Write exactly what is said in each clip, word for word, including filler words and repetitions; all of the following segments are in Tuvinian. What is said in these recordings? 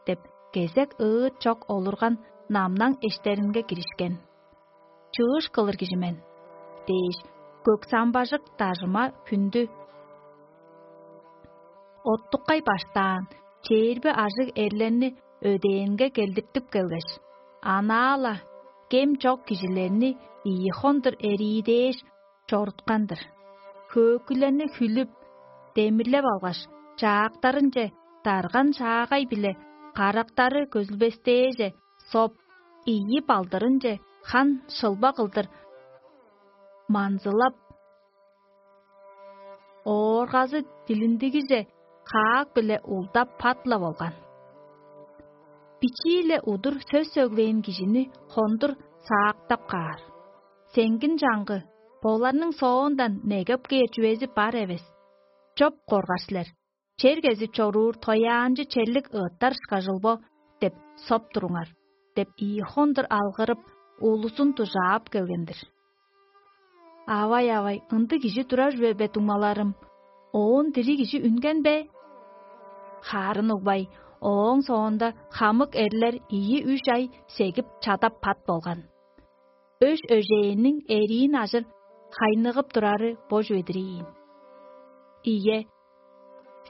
деп, кезек ыыт чок олурган намнаң эштеринге киришкен. «Чыыш кылыр кижи мен» – дээш, көк самбажык дажыма хүндү оттуккай баштаан чээрби ажыг эрлерни өдээнге келдиртип келгеш, анаа-ла кем чок кижилерни ийи хондур эриидээш чоруткан-дыр. Хөөкүлерни хүлүп, демирлеп алгаш, чаактарынче дарган шаагай-биле карактары көзүлбестээже соп, ийи балдырынче хан шылба кылдыр манзылап, ооргазы дилиндигиже хаак-биле улдап пат-ла болган. Бичии-ле удур сөс сөглээн кижини хондур саактап каар. Сеңгин чаңгы, боларның соондан негеп кээр чүвези бар эвес. Чоп коргар силер. Чер кезип чоруур тояанчы черлик ыыттар ышкажыл бо деп соп туруңар, деп ийи хондур алгырып, улузун дужаап келген-дир. Авай-авай, ындыг кижи турар чүве бе, дуңмаларым? Оон дириг кижи үнген бе? Хаарын угбай, ооң соонда хамык эрлер ийи-үш ай сегип чадап пат болган. Өш өжээнниң эриин ажыр хайныгып турары бо чүве-дир ийин. Ийе,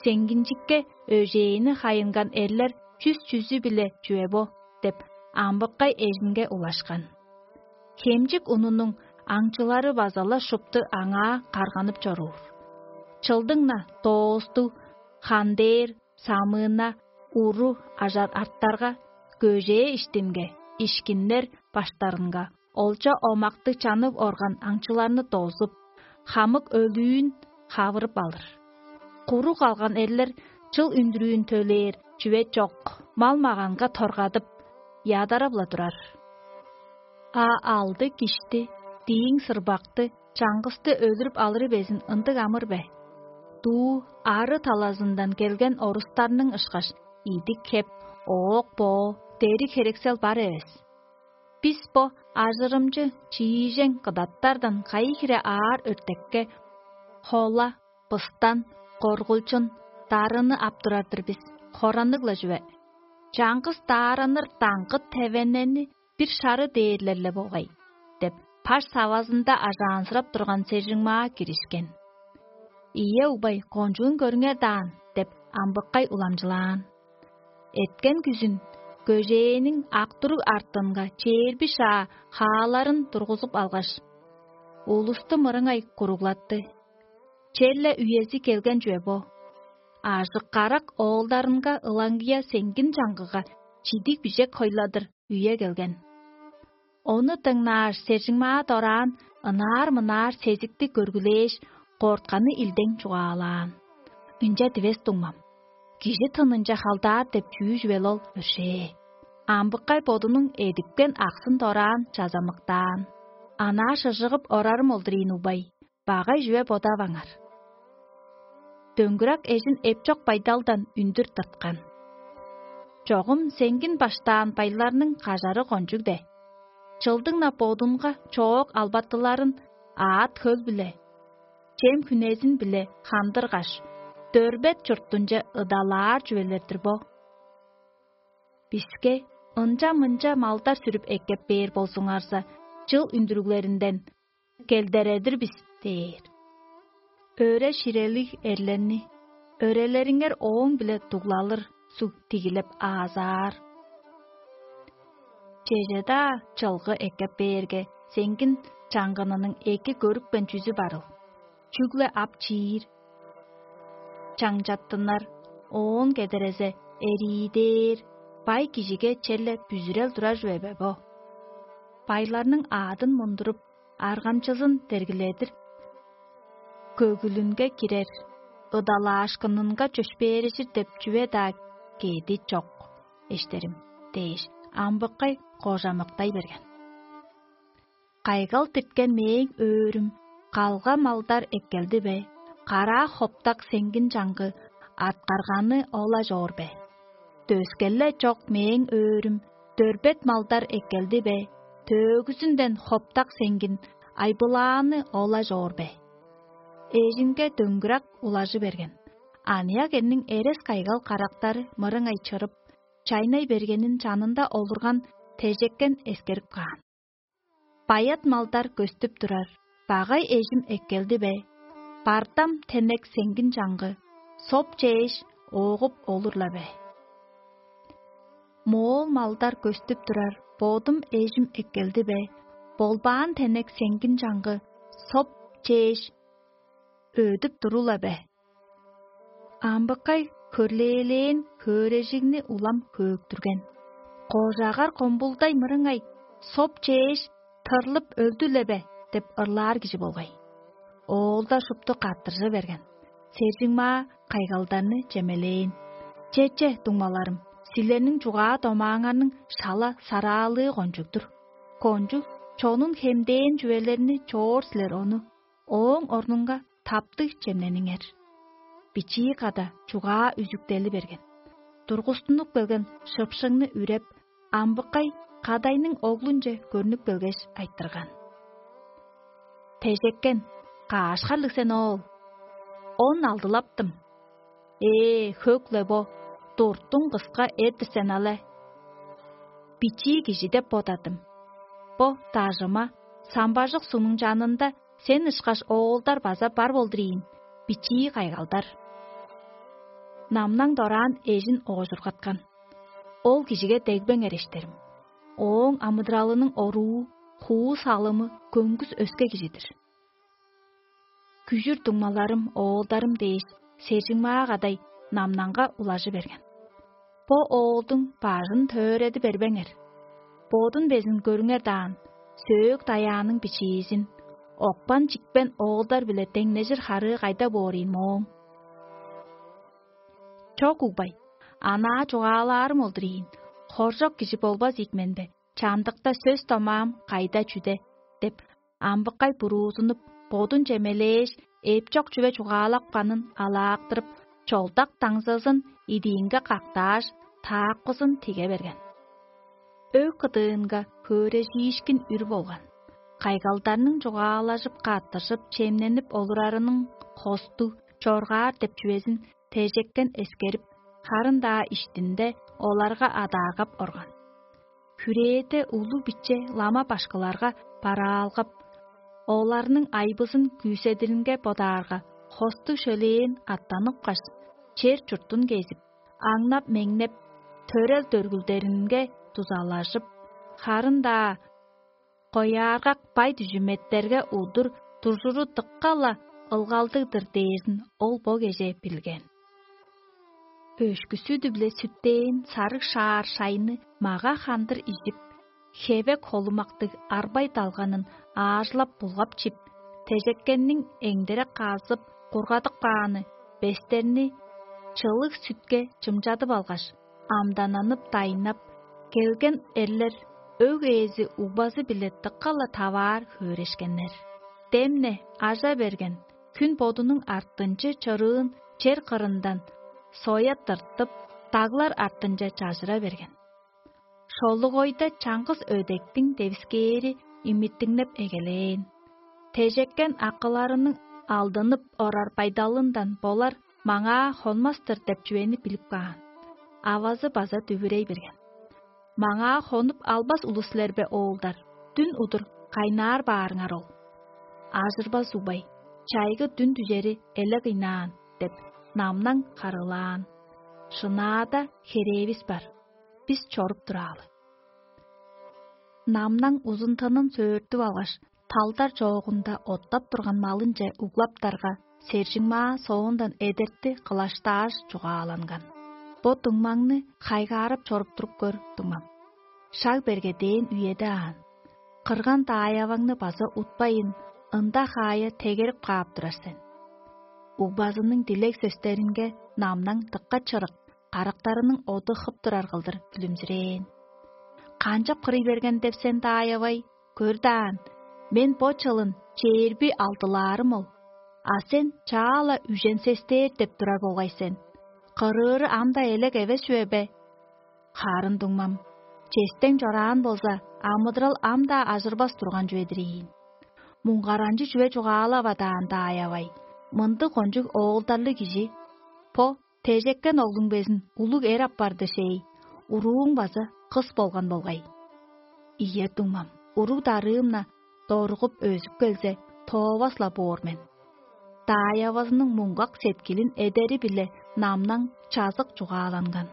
сеңгинчикке өжээни хайынган эрлер чүс-чүзү-биле чүве бо деп, амбыккай эжинге улашкан. Хемчик унунуң аңчылары база-ла шупту аңаа карганып чоруур. Чылдың-на доостуг, хандээр, самыына, уру ажар арттарга, көжээ иштинге, ишкиннер баштарынга, олча омакты чанып орган аңчыларны дозуп, хамык өлүүн хавырып алыр. Куруг алган эрлер чыл үндүрүүн төлээр чүве чок, мал-маганга торгадып, ядарап-ла турар. А алды кишти, дииң сырбакты, чаңгысты өлүрүп алыры безин ындыг амыр бе? Дуу ары талазындан келген орустарның ышкаш идик хеп, оок-боо, дериг херексел бар эвес. Бис бо ажырымчы чиижең кыдаттардан кайы хире аар өртекке хола, быстан, коргулчун, дарыны ап турар-дыр бис, хоранныг-ла чүве. Чаңгыс даараныр даңгыт тевеннени бир шары дээрлер-ле болгай, деп, паш савазында ажаанзырап турган сержиңмаа киришкен. Ийе, угбай, кончуун көрүңер даан, деп, амбыккай уламчылаан. Эткен күзүн көжээниң ак туруг артынга чээрби шаа хааларын тургузуп алгаш, улусту мырыңай куруглатты. Черле үези келген чүве бо. Ажык-карак оолдарынга ылаңгыя сеңгин чаңгыга чидиг бижек хойладыр үе келген. Ону дыңнааш, сержиңмаа дораан ынаар-мынаар сезикти көргүлээш, кортканы илдең чугаалаан. Ынча дивес, дуңмам. Кижи тынынче халдаар деп чүү чүвел ол өршээ. Амбыккай бодунуң эдипкен аксын дораан чазамыктаан. Анаа шыжыгып орарым олдур ийин, угбай. Багай чүве бодаваңар. Дөңгүрак эжин эпчок байдалдан үндүр тырткан. Чогум сеңгин баштаан байларның кажары кончуг де. Чылдың-на бодунга чоок албатыларын аът-хөл-биле, чем хүнезин-биле хандыргаш, дөрбет чурттунче ыдалаар чүвелер-дир бо. Биске ынча-мынча малдар сүрүп эккеп бээр болзуңарза, чыл үндүрүглеринден келдередир бис дээр. Өре-ширелиг эрлерни, өрелериңер ооң-биле дуглалыр суг тигилеп аазаар. Чеже-даа чылгы эккеп бээрге, сеңгин чаңгынының эки көрүпкен чүзү барыл. Чүгле ап чиир, чаңчаттынар, оон кедерезе эриидээр, бай кижиге черле бүзүрел турар чүве бе бо? Байларның аадын мундуруп, аргамчызын дергиледир, көгүлүнге кирер, ыдалаашкынынга чөпшээрижир деп чүве-даа кеди чок, эштерим, дээш, амбыккай кожамыктай берген. Кайгал дирткен мээң өөрүм калга малдар эккелди бе, караа хоптак сеңгин чаңгы арткарганы ол-ла чоор бе? Дөскеле чок мээң өөрүм дөрбет малдар эккелди бе, төөгүзүнден хоптак сеңгин айбылааны ол-ла чоор бе? Эжинге дөңгүрак улажы берген. Аныяк эрниң эрес кайгал карактары мырыңай чырып, чайнай бергенин чанында олурган тежеккен эскерип каан. Баят малдар көстүп турар, багай эжим эккелди бе? Бартам тенек сеңгин чаңгы, соп чээш, ооғуп олур-ла бе? Моол малдар көстүп турар, бодум эжим эккелди бе? Болбаан тенек сеңгин чаңгы, соп чээш, өөдүп турула бе? Амбыккай хөрлээлээн хөөрежигни улам хөөктүрген. Кожагар комбулдай мырыңай, соп чээш, тырлып өлдү-ле бе деп ырлаар кижи болгай. Оолда шупту каттыржы берген. Сержиңмаа кайгалдарны чемелээн. Че-че, дуңмаларым, силерниң чугаа-домааңарның шала сараалыы кончуг-дур. Кончуг чонун хемдээн чүвелерни чоор силер ону, ооң орнунга таптыг чемнениңер. Бичии када чугаа үзүктели берген. Тургустунуп келген шыпшыңны үреп, амбыккай кадайның оглунче көрнүп келгеш, айтырган: «Тежеккен, каашкарлыг сен, оол?» «Он алдылаптым». «Ээ, хөк-ле бо, туртуң кыска эттир сен але. Бичии кижи деп бодадым. Бо дажыма, самбажык сугнуң чанында сен ышкаш оолдар база бар болдур ийин, бичии кайгалдар». Намнаң дораан эжин оожургаткан. Ол кижиге дегбеңер, эштерим. Ооң амыдыралының оруу, хуу салымы көңгүс өске кижи-дир. Күжүр дуңмаларым, оолдарым дээш, сержиңмаа кадай Намнаңга улажы берген. Бо оолдуң бажын төөрээди бербеңер. Бодун безин көрүңер даан, сөөк даяаның бичиизин, окпан-чикпен оолдар-биле деңнежир харыы кайда боор ийин мооң? Чок, угбай, анаа чугаалаарым ол-дур ийин, хоржок кижи болбас ийик мен бе, чамдыкта сөс-домаам кайда чүде? — деп, амбыккай буруузунуп, бодун чемелээш, эпчок чүве чугаалапканын алаактырып, чолдак даңзызын идиинге кактааш, таакпызын тиге берген. Өг кыдыынга хөөрежиишкин үр болган. Кайгалдарның чугаалажып, каттыржып, чемненип олурарының хостуг, чоргаар деп чүвезин тежеккен эскерип, харын-даа иштинде оларга адааргап орган. Хүрээде улуг-биче лама башкыларга бараалгап, оларның айбызын күүседиринге бодаарга, хостуг шөлээн аттаныпкаш, чер-чуртун кезип, аңнап-меңнеп, төрел-дөргүлдеринге дузалажып, харын-даа кояаргак бай-дүжүметтерге удур туржуру дыка-ла ылгалдыг-дыр дээрзин ол бо кежээ билген. Өшкү-сүдү-биле сүттээн сарыг шаар шайны мага-хандыр ижип, хевек холумактыг арбай далганын аажылап-булгап чип, тежеккенниң эңдере казып, кургадып кааны бестерни чылыг сүтке чымчадып алгаш, амдананып-дайнап келген эрлер өг ээзи угбазы-биле дыка-ла таваар хөөрешкеннер. Демне ажа берген хүн бодунуң артынчы чырыын чер кырындан соя тыртып, даглар артынче чажыра берген. Шолугойда чаңгыс өдектиң девискээри имиттиңнеп эгелээн. Тежеккен акыларының алдынып орар байдалындан болар маңаа хонмас-тыр деп чүвени билип каан. Авазы база дүвүрей берген: «Маңаа хонуп албас улус силер бе, оолдар? Дүн удур кайнаар баарыңар ол». «Ажырбас, угбай, чайгы дүн дүжери эле кыйнаан» — деп, Намнаң харыылаан. «Шынаада херээвис бар. Бис чоруп тураалы». Намнаң узун тынын сөөртүп алгаш, талдар чоогунда оттап турган малынче углаптарга, сержиңмаа соондан эдерти кылаштааш чугааланган: «Бо дуңмаңны хайгаарап чоруп туруп көр, дуңмам. Шаг берге дээн үеде аан. Кырган даайаваңны база утпайн, ында хаая тегерип каап турар сен». Угбазының дилег сөстеринге Намнаң дыка чырык, карактарының оду хып турар кылдыр күлүмзүрээн. «Канчап кырый берген деп сен, даай-авай? Көр даан, мен бо чылын чээрби алдылаарым ол. А сен чаа-ла үжен сестээр деп турар болгай сен. Кырыыры ам-даа элек эвес чүве бе? Харын, дуңмам, честең чораан болза, амыдырал ам-даа ажырбас турган чүве-дир ийин. Муңгаранчы чүве чугаалава даан, даай-авай, мындыг кончуг оолдарлыг кижи. Бо тежеккен оглуң безин улуг эр апарды шей. урууң база кыс болган болгай. Ийе, дуңмам, уруг-дарыым-на доругуп өзүп келзе, тоовас-ла боор мен. Даай-авазының муңгак сеткилин эдери-биле намнаң чазык чугааланган.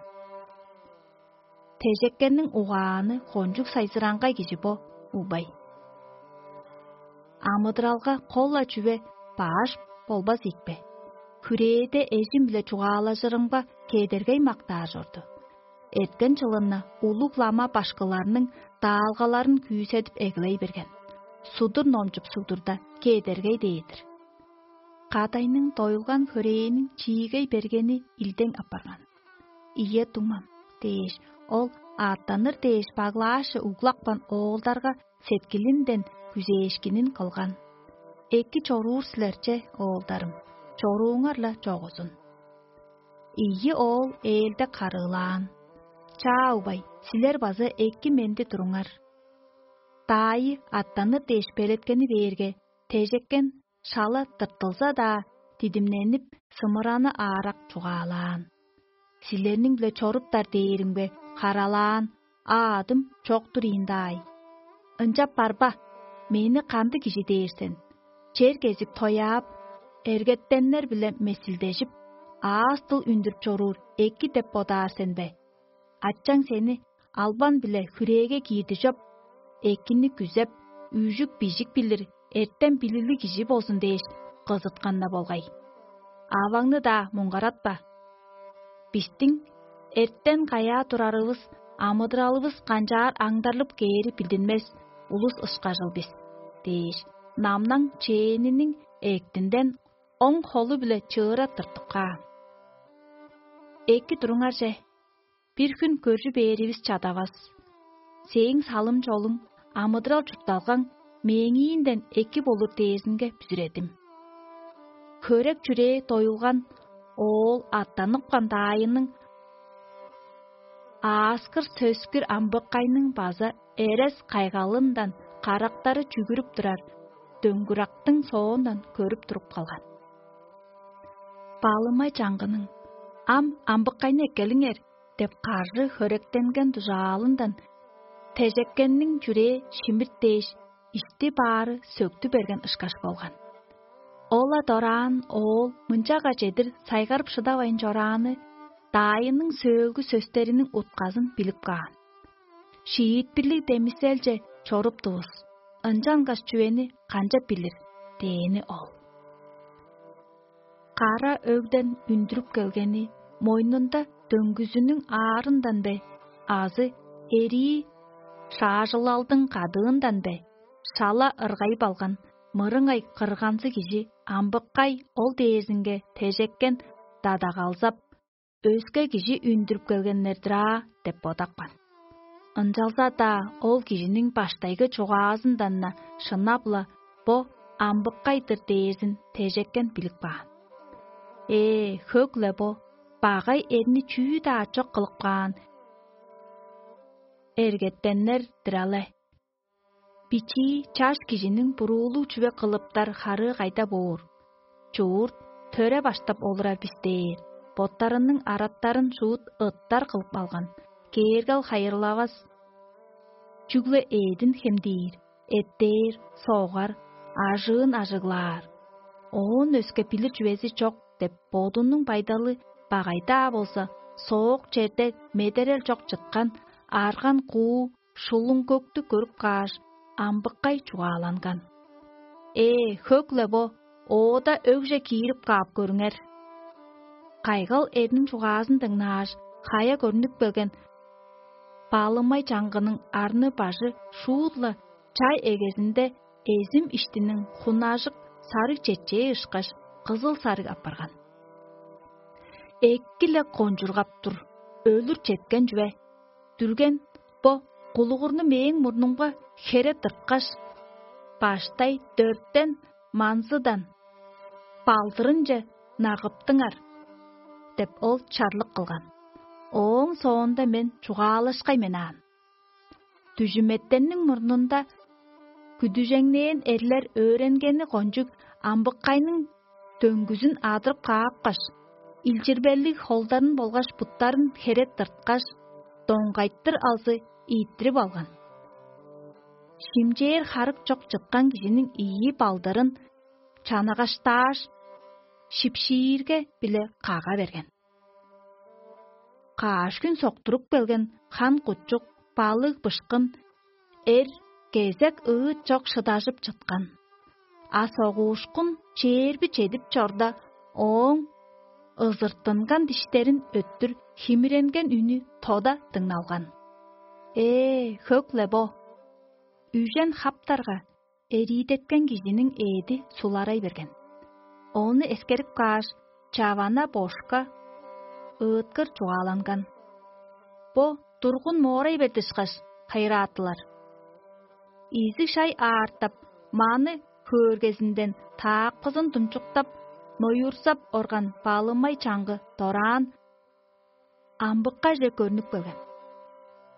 Тежеккенниң угааны кончуг сайзыраңгай кижи бо, угбай. Амыдыралга кол-ла чүве баш болбас ийикпе? Хүрээде эжим-биле чугаалажырымга кедергей мактаар чорду. Эрткен чылынна улуг лама башкыларның даалгаларын күүседип эгелей берген. Судур номчуп судурда кедергей дээр-дир. Кадайның доюлган хөрээниң чиигей бергени илдең апарган. «Ийе, дуңмам» – дээш, ол аъттаныр дээш баглаашче углапкан оолдарга сеткилинден күзээшкинин кылган. «Эки чоруур силер че, оолдарым, чорууңар-ла чогузун». Ийи оол ээлде карыылаан: «Чаа, угбай, силер база эки-менди туруңар». Даайы аъттаныр дээш белеткени бээрге, тежеккен шала тыртылза-даа, дидимненип, сымыраны аарак чугаалаан: «Силерниң-биле чоруптар дээримге, каралаан, а адым чок-тур ийин даай. Ынчап барба, мени кандыг кижи дээр сен? Чер кезип тояап, эргеттеннер-биле месилдежип, аас-дыл үндүрүп чоруур эки деп бодаар сен бе? Ачаң сени албан-биле хүрээге киирди чоп, экини күзеп, үжүк-бижик билир, эртем-билиглиг кижи болзун дээш, кызыткан-на болгай. Аваңны-даа муңгаратпа. Бистиң эртен каяа турарывыс, амыдыралывыс канчаар аңдарлып кээри билдинмес улус ышкажыл бис» – дээш, намнаң чээниниң эктинден оң холу-биле чыыра тыртып каан. «Эки туруңар че, бир хүн көржү бээривис чадавас. Сээң салым-чолуң, амыдырал-чуртталгаң мээңиинден эки болур дээрзинге бүзүредим». Хөрек-чүрээ доюлган оол аъттаныпкан даайының ааскыр-сөскүр амбыккайның база эрес-кайгалындан карактары чүгүрүп турар дөңгүрактың соондан көрүп туруп калган. Балымай чаңгының: «Ам амбыккайны эккелиңер» – деп каржы хөректенген дужаалындан тежеккенниң чүрээ шимирт дээш, ишти-баары сөктү берген ышкаш болган. Ол-ла дораан оол мынчага чедир сайгарып шыдавайн чорааны даайының сөөлгү сөстериниң утказын билип каан. «Шиитпирлиг демиселче чоруптувус, ынчангаш чүвени канчап билир?» – дээни ол. Кара өгден үндүрүп келгени мойнунда дөңгүзүнүң аарындан бе азы эрии шаажылалдың кадыындан бе шала ыргайып алган мырыңай кырганзы кижи амбыккай ол дээрзинге тежеккен дадагалзап, өске кижи үндүрүп келгеннер-дир аа деп бодапкан. Ынчалза-даа ол кижиниң баштайгы чугаазындан-на шынап-ла бо амбыккай-дыр дээрзин тежеккен билип каан. Ээ, хөк-ле бо, багай эрни чүү-даа чок кылып каан эргеттеннер-дир але. Бичии чаш кижиниң буруулуг чүве кылыптар харыы кайда боор? Чуурт төре баштап олурар бис дээр, боттарының араттарын шуут ыттар кылып алган, кээргел хайырлавас. Чүгле эъдин хемдиир, эттээр, согар, ажыын ажыглаар. Оон өске билир чүвези чок деп бодунуң байдалы багай-даа болза, соок черде медерел чок чыткан арган куу шулуң көктү көрүп кааш, амбыккай чугааланган. Ээ, хөк-ле бо, оода өгже киирип каап көрүңер. Кайгал эрниң чугаазын дыңнааш, хая көрнүп келген баалымай чаңгының арны-бажы шуут-ла чай эгезинде эзим иштиниң хунажык сарыг четчээ ышкаш кызыл-сарыг апарган. Эки-ле кончургап тур, өлүр четкен чүве. Дүрген бо кулугурну мээң мурнумга хере тырткаш, баштай дөртен манзыдан балдырынче нагыптыңар деп, ол чарлык кылган. Ооң соонда мен чугаалашкай мен аан. Дүжүметтенниң мурнунда күдүжеңнээн эрлер өөренгени кончуг амбыккайның дөңгүзүн адырып каапкаш, илчирбелиг холдарын болгаш буттарын хере тырткаш, доңгайтыр алзы ийиттирип алган. Шимчээр харык чок чыткан кижиниң ийи балдырын чанагаштааш, шипшиирге-биле кага берген. Каш хүн соктуруп келген хан-кучук, балыг-бышкын, эр, кезек ыыт чок шыдажып чыткан. А согуушкун чээрби чедип чорда, ооң ызыртынган диштерин өттүр химиренген үнү тода дыңналган. Ээ, хөк-ле бо! Үжен хаптарга эриидеткен кижиниң ээди суларай берген. Ону эскерип кааш, чавана бошка ыыткыр чугааланган. Бо тургун моорай берди ышкаш, хайыраатылар. Изиг шай аартап, маны хөөргезинден таакпызын думчуктап, ноюрзап орган балымай чаңгы дораан амбыккаже көрнүп келген.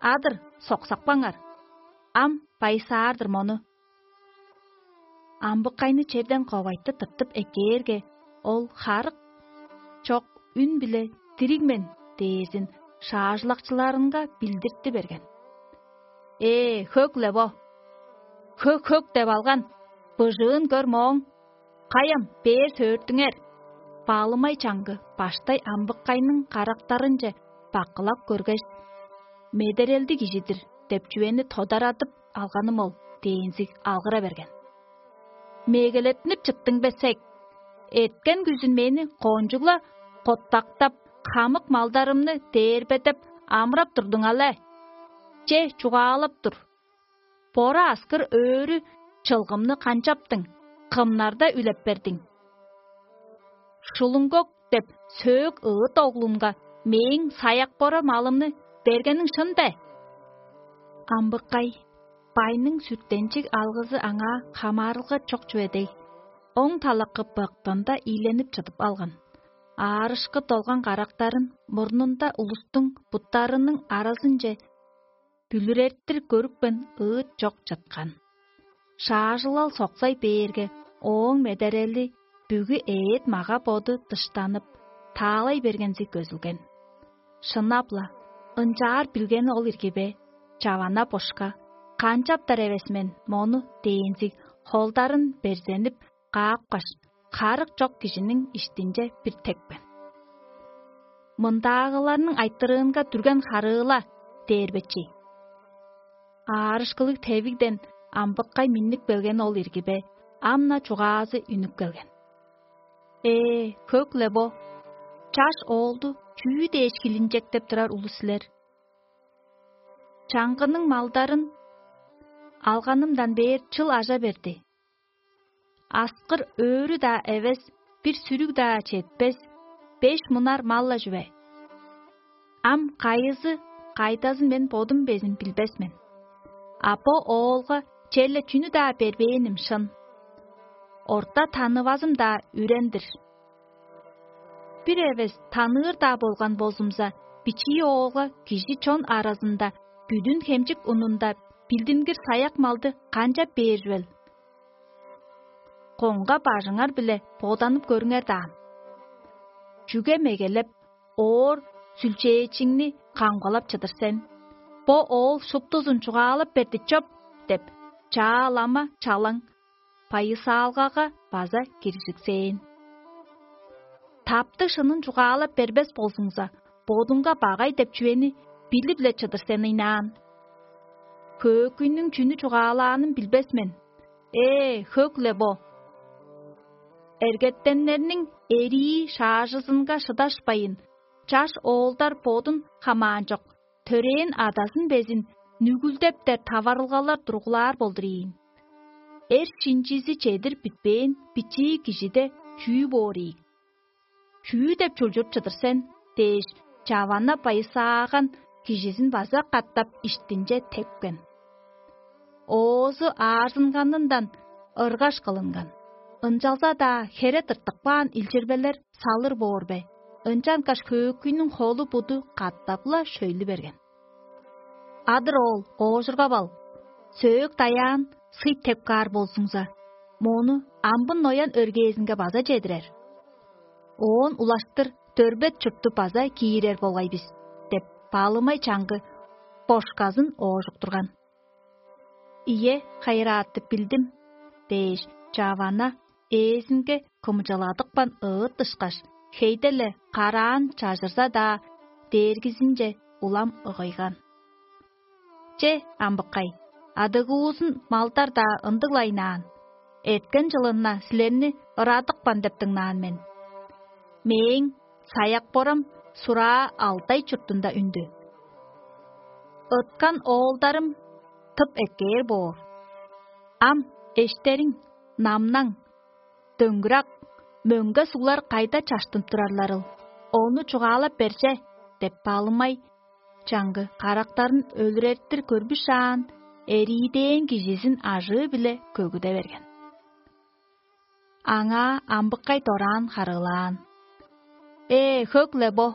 Адыр, соксакпаңар. Ам байсаар-дыр мону. Амбыккайны черден ковайтты тыртып эккээрге, ол харык чок үн-биле «Дириг мен» дээрзин шаажылакчыларынга билдирти берген. Ээ, хөк-ле бо! «Хөк-хөк» деп алган, быжыын көр мооң. Каяам, бээр сөөрттүңер. Баалымай чаңгы баштай амбыккайның карактарынче баккылап көргеш: «Медерелди кижи-дир» деп чүвени тодарадып алганым ол, дээнзиг алгыра берген. «Мегелеттинип чыттың бе, сек? Эрткен күзүн мени кончуг-ла коттактап, хамык малдарымны дээрбедеп, амырап турдуң але? Че, чугаалап тур. Бора аскыр өрү чылгымны канчаптың, кымнарда үлеп бердиң? Шулуңгок деп сөөк ыыт оглунга мээң саяк-бора малымны бергениң шын бе?» Амбыккай, байның сүртенчиг алгызы аңаа хамаарылга чок чүве дег, оң талакы быктында ийленип чыдып алган. Аарышкы долган карактарын мурнунда улустуң буттарының аразынче бүлүрертир көрүпкен ыыт чок чыткан. Шаажылал соксай бээрге, ооң медерели бүгү эът мага-боду дыштанып, таалай бергензи көзүлген. Шынап-ла, ынчаар билгени ол ирги бе, чавана бошка, канчаптар эвес мен мону дээнзиг холдарын берзенип, каапкаш, харык чок кижиниң иштинче бир тепкен. «Мындаагыларның айтырыынга дүрген харыыла» дээр бечи. Аарышкылыг тевигден амбыккай миннип келген ол ирги бе, ам-на чугаазы үнүп келген. Ээ, хөк-ле бо! Чаш оолду чүү дээш хилинчектеп турар улус силер? Чаңгының малдарын алганымдан бээр чыл ажа берди. Аскыр өрү-даа эвес, бир сүрүг-даа четпес, беш мунар мал-ла чүве. Ам кайызы кайдазын мен бодум безин билбес мен. А бо оолга черле чүнү-даа бербээним шын. Орта танывазым-даа үрен-дир. Бир эвес таныыр-даа болган болзумза, бичии оолга кижи чон аразында бүдүн хемчик унунда билдингир саяк малды канчап бээр чүвел? Коңга бажыңар-биле боданып көрүңер даан. Чүге мегелеп, оор сүлчээчиңни камгалап чыдыр сен? «Бо оол шуптузун чугаалап берди чоп» деп, чаа лама чалаң, байысаалгага база киржиксээн. Таптыг шынын чугаалап бербес болзуңза, бодуңга багай деп чүвени билип-ле чыдыр сен ыйнаан. Хөөкүйнүң чүнү чугаалаанын билбес мен. Ээ, хөк-ле бо! Эргеттеннерниң эрии шаажызынга шыдашпайн, чаш оолдар бодун хамаанчок, төрээн адазын безин нүгүлдептер таварылгалар тургулаар болдур ийин. Эр шинчизи чедир бүтпээн бичии кижиде чүү боор ийик? «Чүү деп чулчуруп чыдыр сен?» – дээш, чавана байысааган кижизин база катап иштинче тепкен. Оозу аарзынганындан ыргаш кылынган. Ынчалза-даа хере тыртып каан илчирбелер салыр боор бе? Ынчангаш хөөкүйнүң холу-буду катап-ла шөйлү берген. Адыр оол, оожургап ал. Сөөк даяан сый теп каар болзуңза, мону амбын ноян өргээзинге база чедирер. Оон улаштыр дөрбет чуртту база киирер болгай бис деп, баалымай чаңгы кошказын оожуктурган. «Ийе, хайыраатты билдим» – дээш, чавана ээзинге кымчыладыпкан ыыт ышкаш, хейде-ле караан чажырза-даа, дээргизинче улам ыгыйган. «Че, амбыккай, адыгуузун малдар-даа ындыг-ла ыйнаан. Эрткен чылын-на силерни ырадыпкан деп дыңнаан мен. Мээң саяк-борам сураа Алтай чуртунда үндү. Ыткан оолдарым тып эккээр боор. Ам эштериң, Намнаң, Дөңгүрак, мөңге суглар кайда чаштынып турарларыл, ону чугаалап бер че» – деп, Балымай чаңгы карактарын өлүрертир көрбүшаан, эриидээн кижизин ажыы-биле көгүде берген. Аңаа амбыккай дораан харыылаан: «Ээ, хөк-ле бо!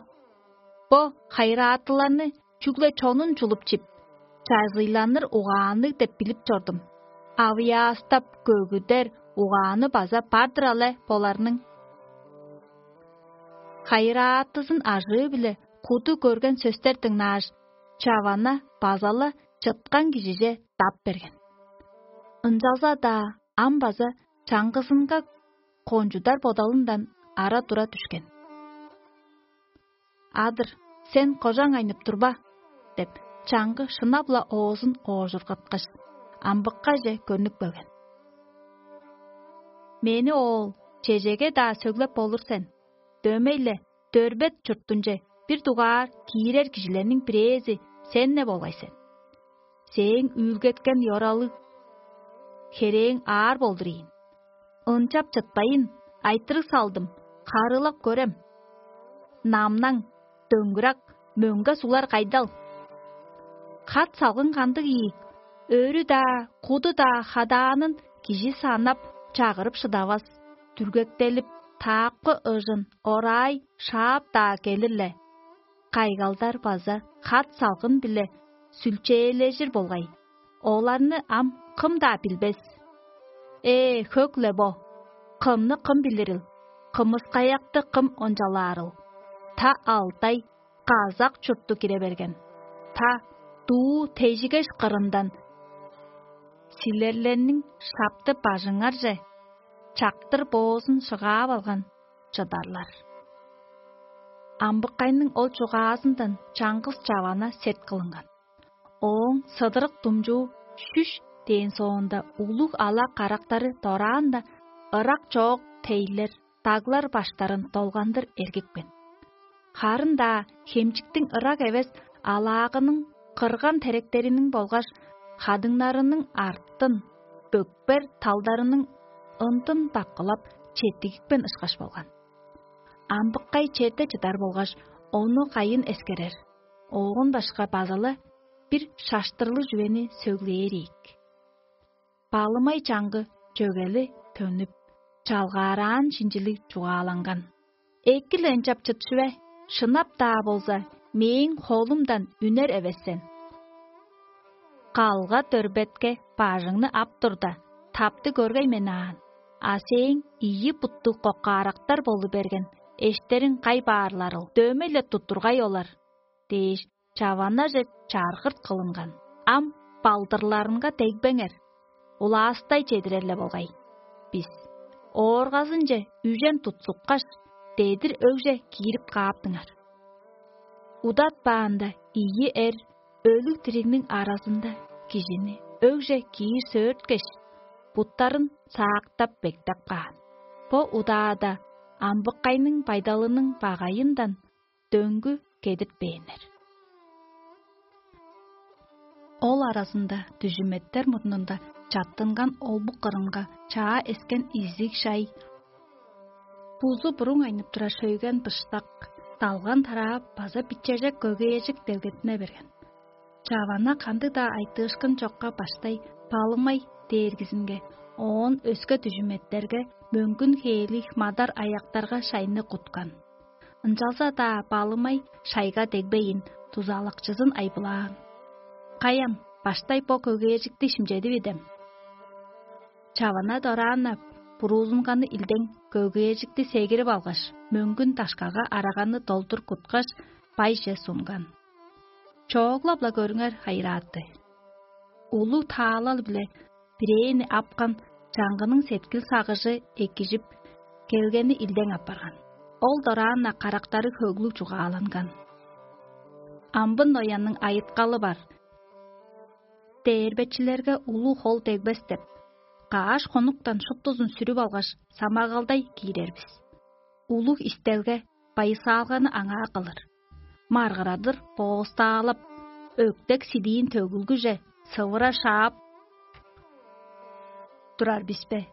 Бо хайыраатыларны чүгле чонун чулуп чип, чазыйланыр угаанныг деп билип чордум. Авыяастап көгүдер угааны база бар-дыр але боларның». Хайыраатызын ажыы-биле куду көрген сөстер дыңнааш, чавана база-ла чыткан кижиже дап берген. Ынчалза-даа ам база чаңгызынга кончудар бодалындан ара-тура дүшкен. «Адыр, сен кожаң айнып турба» – деп, чаңгы шынап-ла оозун оожургаткаш, амбыккаже көрнүп келген. «Мени, оол, чежеге-даа сөглеп болур сен. Дөмей-ле Дөрбет чуртунче бир дугаар киирер кижилерниң бирээзи сен-не болгай сен. Сээң үүлгеткен ёралыг херээң аар болдур ийин. Ынчап чытпайн, айтырыг салдым, харыылап көрем. Намнаң, Дөңгүрак, мөңге суглар кайдал? Хат салгын кандыг ийик, өрү-даа, куду-даа хадаанын кижи санап, чагырып шыдавас, дүргектелип, таапкы ыжын ораай шаап-даа келир-ле. Кайгалдар база хат салгын-биле сүлчээлежир болгай. Оларны ам кым-даа билбес. Ээ, хөк-ле бо! Кымны кым билирил? Кымыскаякты кым ончалаарыл? Та Алтай, казак чуртту кире берген. Та дуу тежигеш кырындан силерлерниң шапты бажыңарже чактыр боозун шыгаап алган чыдарлар». Амбыккайның ол чугаазындан чаңгыс чавана сет кылынган. Ооң сыдырык думчуу шүш дээн соонда, улуг ала карактары дораан-на ырак чоок тейлер, даглар баштарын долгандыр эргипкен. Харын-даа хемчиктиң ырак эвес алаагының кырган теректериниң болгаш хадыңнарының артын, бөкпер талдарының ындын даккылап, четтигипкен ышкаш болган. Амбыккай черде чыдар болгаш, ону кайын эскерер, оон башка база-ла бир шаштырлыг чүвени сөглээр ийик. Балымай чаңгы чөгели төнүп, чалгаараан шинчилиг чугааланган: «Эки-ле ынчап чыт чүве, шынап-даа болза, мээң холумдан үнер эвес сен. Калга-дөрбетке бажыңны ап турда, тапты көргей мен аан, а сээң ийи буттуг коккаарактар болу берген эштериң кай баарларыл, дөмей-ле туттургай олар» – дээш, чаванаже чаргырт кылынган. «Ам балдырларынга дегбеңер, улаастай чедирер-ле болгай бис. Ооргазынче үжен тутсуккаш, дедир өгже киирип кааптыңар. Удатпаанда, ийи эр өлүг-диригниң аразында кижини өгже киир сөөрткеш, буттарын саактап-бектеп каан. Бо удаада амбыккайның байдалының багайындан дөңгү кедиртпээннер». Ол аразында дүжүметтер мурнунда чаттынган олбук кырынга чаа эскен изиг шай, бузу буруң айнып турар шөйген быштак, далган-тараа база бичежек көгээжик делгеттине берген. Чавана кандыг-даа айтыышкын чокка баштай Балымай дээргизинге, оон өске дүжүмметтерге мөңгүн хээлиг мадар аяктарга шайны куткан. Ынчалза-даа Балымай шайга дегбейн, дузалакчызын айбылаан: «Каян, баштай бо көгээржикти шимчедип идем?» Чавана дораан-на буруузунганы илдең көгээржикти сегирип алгаш, мөңгүн дашкага араганы долдур куткаш, байже сунган. Чооглап-ла көрүңер, хайырааты. Улуг таалал-биле бирээни апкан чаңгының сеткил сагыжы экижип, келгени илдең апарган. Ол дораан-на карактары хөглүг чугааланган. Амбын ноянның айыткалы бар: «Дээрбечилерге улуг хол дегбес» деп, кааш хонуктан шуптузун сүрүп алгаш, самагалдай киирер бис. Улуг истелге байысаалганы аңаа кылыр. Маргырадыр боостаалап, өктек сидиин төгүлгүже сывыра шаап турар бис бе?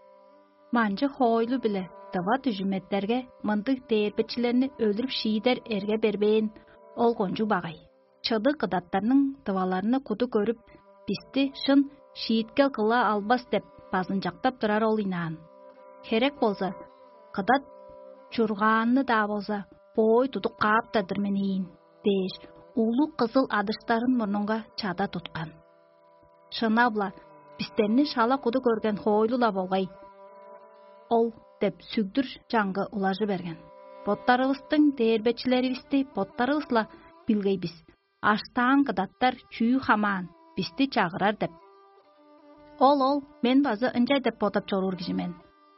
Манчы хоойлу-биле дыва дүжүметтерге мындыг дээрбечилерни өлүрүп шиидер эрге бербээн, ол кончуг багай. Чыдыг кыдаттарның дываларны куду көрүп, бисти шын шииткел кыла албас деп базынчактап турар ол ыйнаан. Херек болза, кыдат чургаанны-даа болза, боой тудуп кааптар-дыр мен ийин дээш, улуг кызыл адыштарын мурнунга чада туткан. Шынап-ла, бистерни шала куду көрген хоойлу-ла болгай ол деп сүгдүр чаңгы улажы берген. Боттарывыстың дээрбечилеривисти боттарывыс-ла билгей бис. Аштаан кыдаттар чүү хамаан, бисти чагырар деп. Ол ол мен база ынча деп бодап чоруур кижи мен.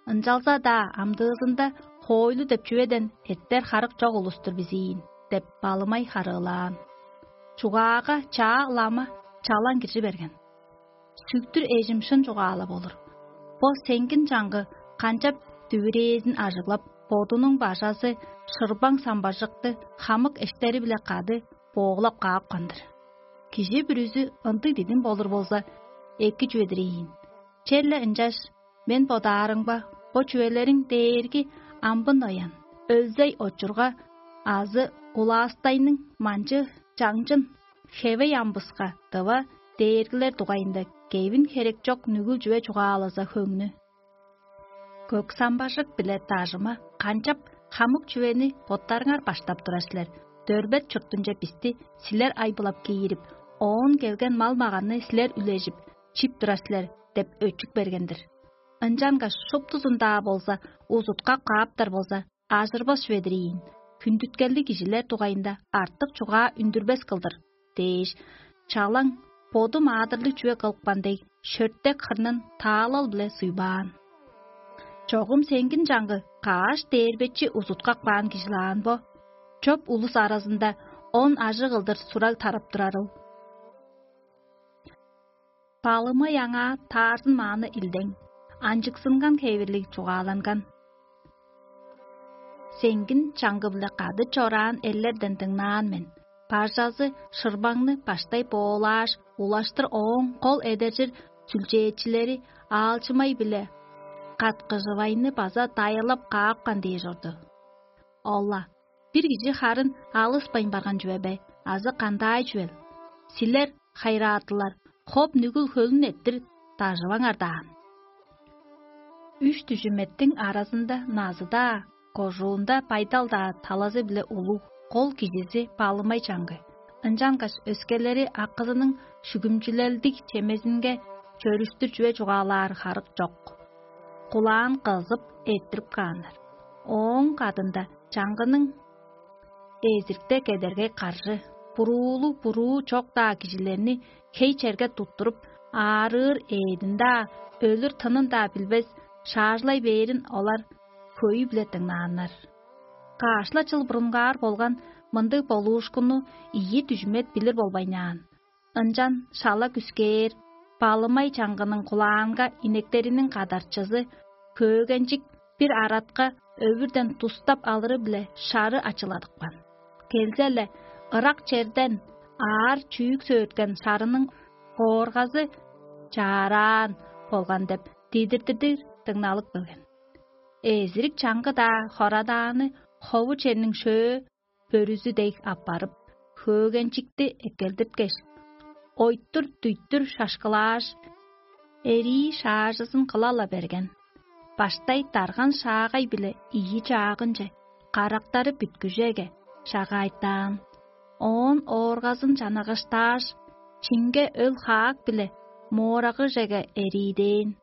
Ынчалза-даа амдыызында хоойлу деп чүведен эртер харык чок улус-тур бис ийин деп балымай харыылаан. Чугаага чаа ылама чалаң киржи берген. Сүктүр эжим шын чугаалап олур. Бо сеңгин чаңгы канчап дүвүрээзин ажыглап, бодунуң бажазы шырбаң самбажыкты хамык эштери-биле кады бооглап каапкан-дыр. Кижи бүрүзү ындыг дидим болур болза, эки чүве-дир ийин. Черле ынчаш мен бодаарымга, бо чүвелериң дээрги амбын оян, өлзей очурга азы улаастайның манчы чаңчын хевей амбыска дыва дээргилер дугайында кевин херек чок нүгүл чүве чугаалаза хөңнү. Көк самбажык биле дажыма канчап хамык чүвени боттарыңар баштап турар силер, дөрбет чуртунче бисти силер айбылап киирип, оон келген мал-маганны силер үлежип, чип турар силер деп өчүк берген-дир. Ынчангаш шуптузун-даа болза, узутка кааптар болза, ажырбас чүве-дир ийин, хүндүткелдиг кижилер дугайында артык чугаа үндүрбес кылдыр дээш, чалаң боду маадырлыг чүве кылыпкан дег, шөртек хырнын таалал-биле суйбаан. Чогум сеңгин чаңгы кааш дээрбечи узуткак баан кижи-лаан бо, чоп улус аразында он ажыг кылдыр сураг тарап турарыл. Балымай аңаа таарзын мааны илдең, анчыксынган хевирлиг чугааланган. Сеңгин чаңгы-биле кады чораан эрлерден дыңнаан мен. Бажазы шырбаңны баштай боолааш, улаштыр ооң кол эдержир сүлчээчилери аалчымай-биле каткыжывайны база дайылап каапкан дээш орду. Ол-ла, бир кижи харын алыспайн барган чүве бе азы кандай чүвел? Силер, хайыраатылар, хоп нүгүл хөлүн эрттир дажываңар даан. Үш дүжүметтиң аразында назы-даа, кожуунда байдал-даа талазы-биле улуг, кол кижизи баалымай чаңгы. Ынчангаш өскелери акызының шүгүмчүлелдиг чемезинге чөрүштүр чүве чугаалаар харык чок. Кулаан кызып эрттирип кааннар. Ооң кадында чаңгының эзирикте кедергей каржы, буруулуг-буруу чок-даа кижилерни хей черге туттуруп, аарыыр эъдин-даа, өлүр тынын-даа билбес, шаажылай бээрин олар хөйү-биле дыңнааннар. Каш-ла чыл бурунгаар болган мындыг болуушкунну ийи дүжүмет билир болбайнаан. Ынчан шала күскээр, балымай чаңгының кулаанга инектериниң кадарчызы хөөгенчик бир аратка өвүрден тустап алыры-биле шары ачыладыпкан. Келзе-ле, ырак черден аар чүүк сөөрткен шарының ооргазы чаараан болган деп дидиртидир дыңналып келген. Эзирик чаңгы-даа хорадааны хову черниң шөө бөрүзү дег аппарып, хөөгенчикти эккелдирткеш, ойтур-дуйтур шашкылааш, эрии шаажызын кыла-ла берген. Баштай дарган шаагай-биле ийи чаагынче, карактары бүткүжеге шагаайтаан. Оон ооргазын чанагыштааш, чинге өл-хаак-биле моорагыжеге эриидээн.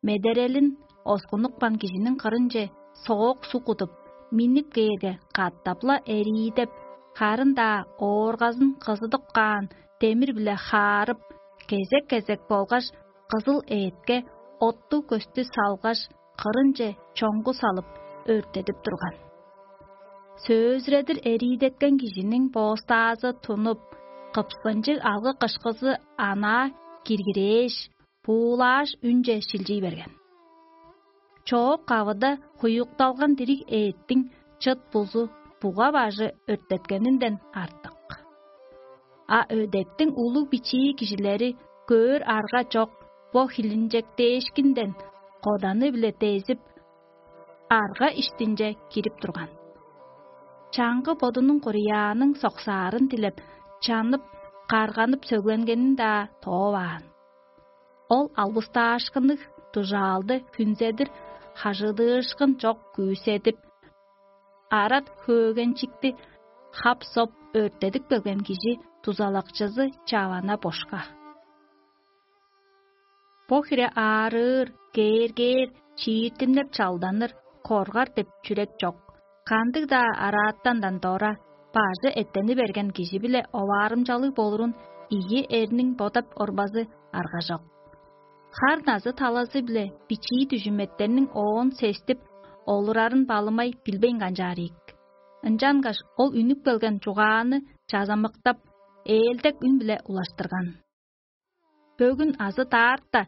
Медерелин оскунупкан кижиниң кырынче соок суг кудуп, миннип кээрге, катап-ла эриидеп, харын-даа ооргазын кызыдып каан демир-биле хаарып, кезек-кезек болгаш кызыл ээдке оттуг көстү салгаш, кырынче чоңгу салып, өрттедип турган. Сөзүредир эриидеткен кижиниң боостаазы тунуп, кыпсынчыг алгы-кышкызы анаа киргирээш, буулааш, үнче шилчий берген. Чоок-кавыда хуюкталган дириг ээттиң чыт-бузу, буга-бажы өрттеткенинден артык. А өдектиң улуг-бичии кижилери көөр арга чок бо хилинчектээшкинден коданы-биле дезип, арга иштинче кирип турган. Чаңгы бодунуң кураяаның соксаарын дилеп, чанып, карганып сөгленгенин-даа тооваан. Ол албыстаашкынныг, дужаалды хүнзедир, хажыдыышкын чок күүседип, арат хөөгенчикти хап-соп өрттедип келген кижи дузалакчызы чавана бошка. Бо хире аарыыр, кээргээр, чииртимнеп чалданыр, коргар деп чүрек чок. Кандыг-даа араатандан дора бажы эттени берген кижи-биле оваарымчалыг болурун ийи эрниң бодап орбазы аргажок. Хар-назы талазы-биле бичии дүжүметтерниң оон сестип олурарын балымай билбейн канчаар ийик. Ынчангаш ол үнүп келген чугааны чазамыктап, ээлдек үн-биле улаштырган: «Бөгүн азы даарта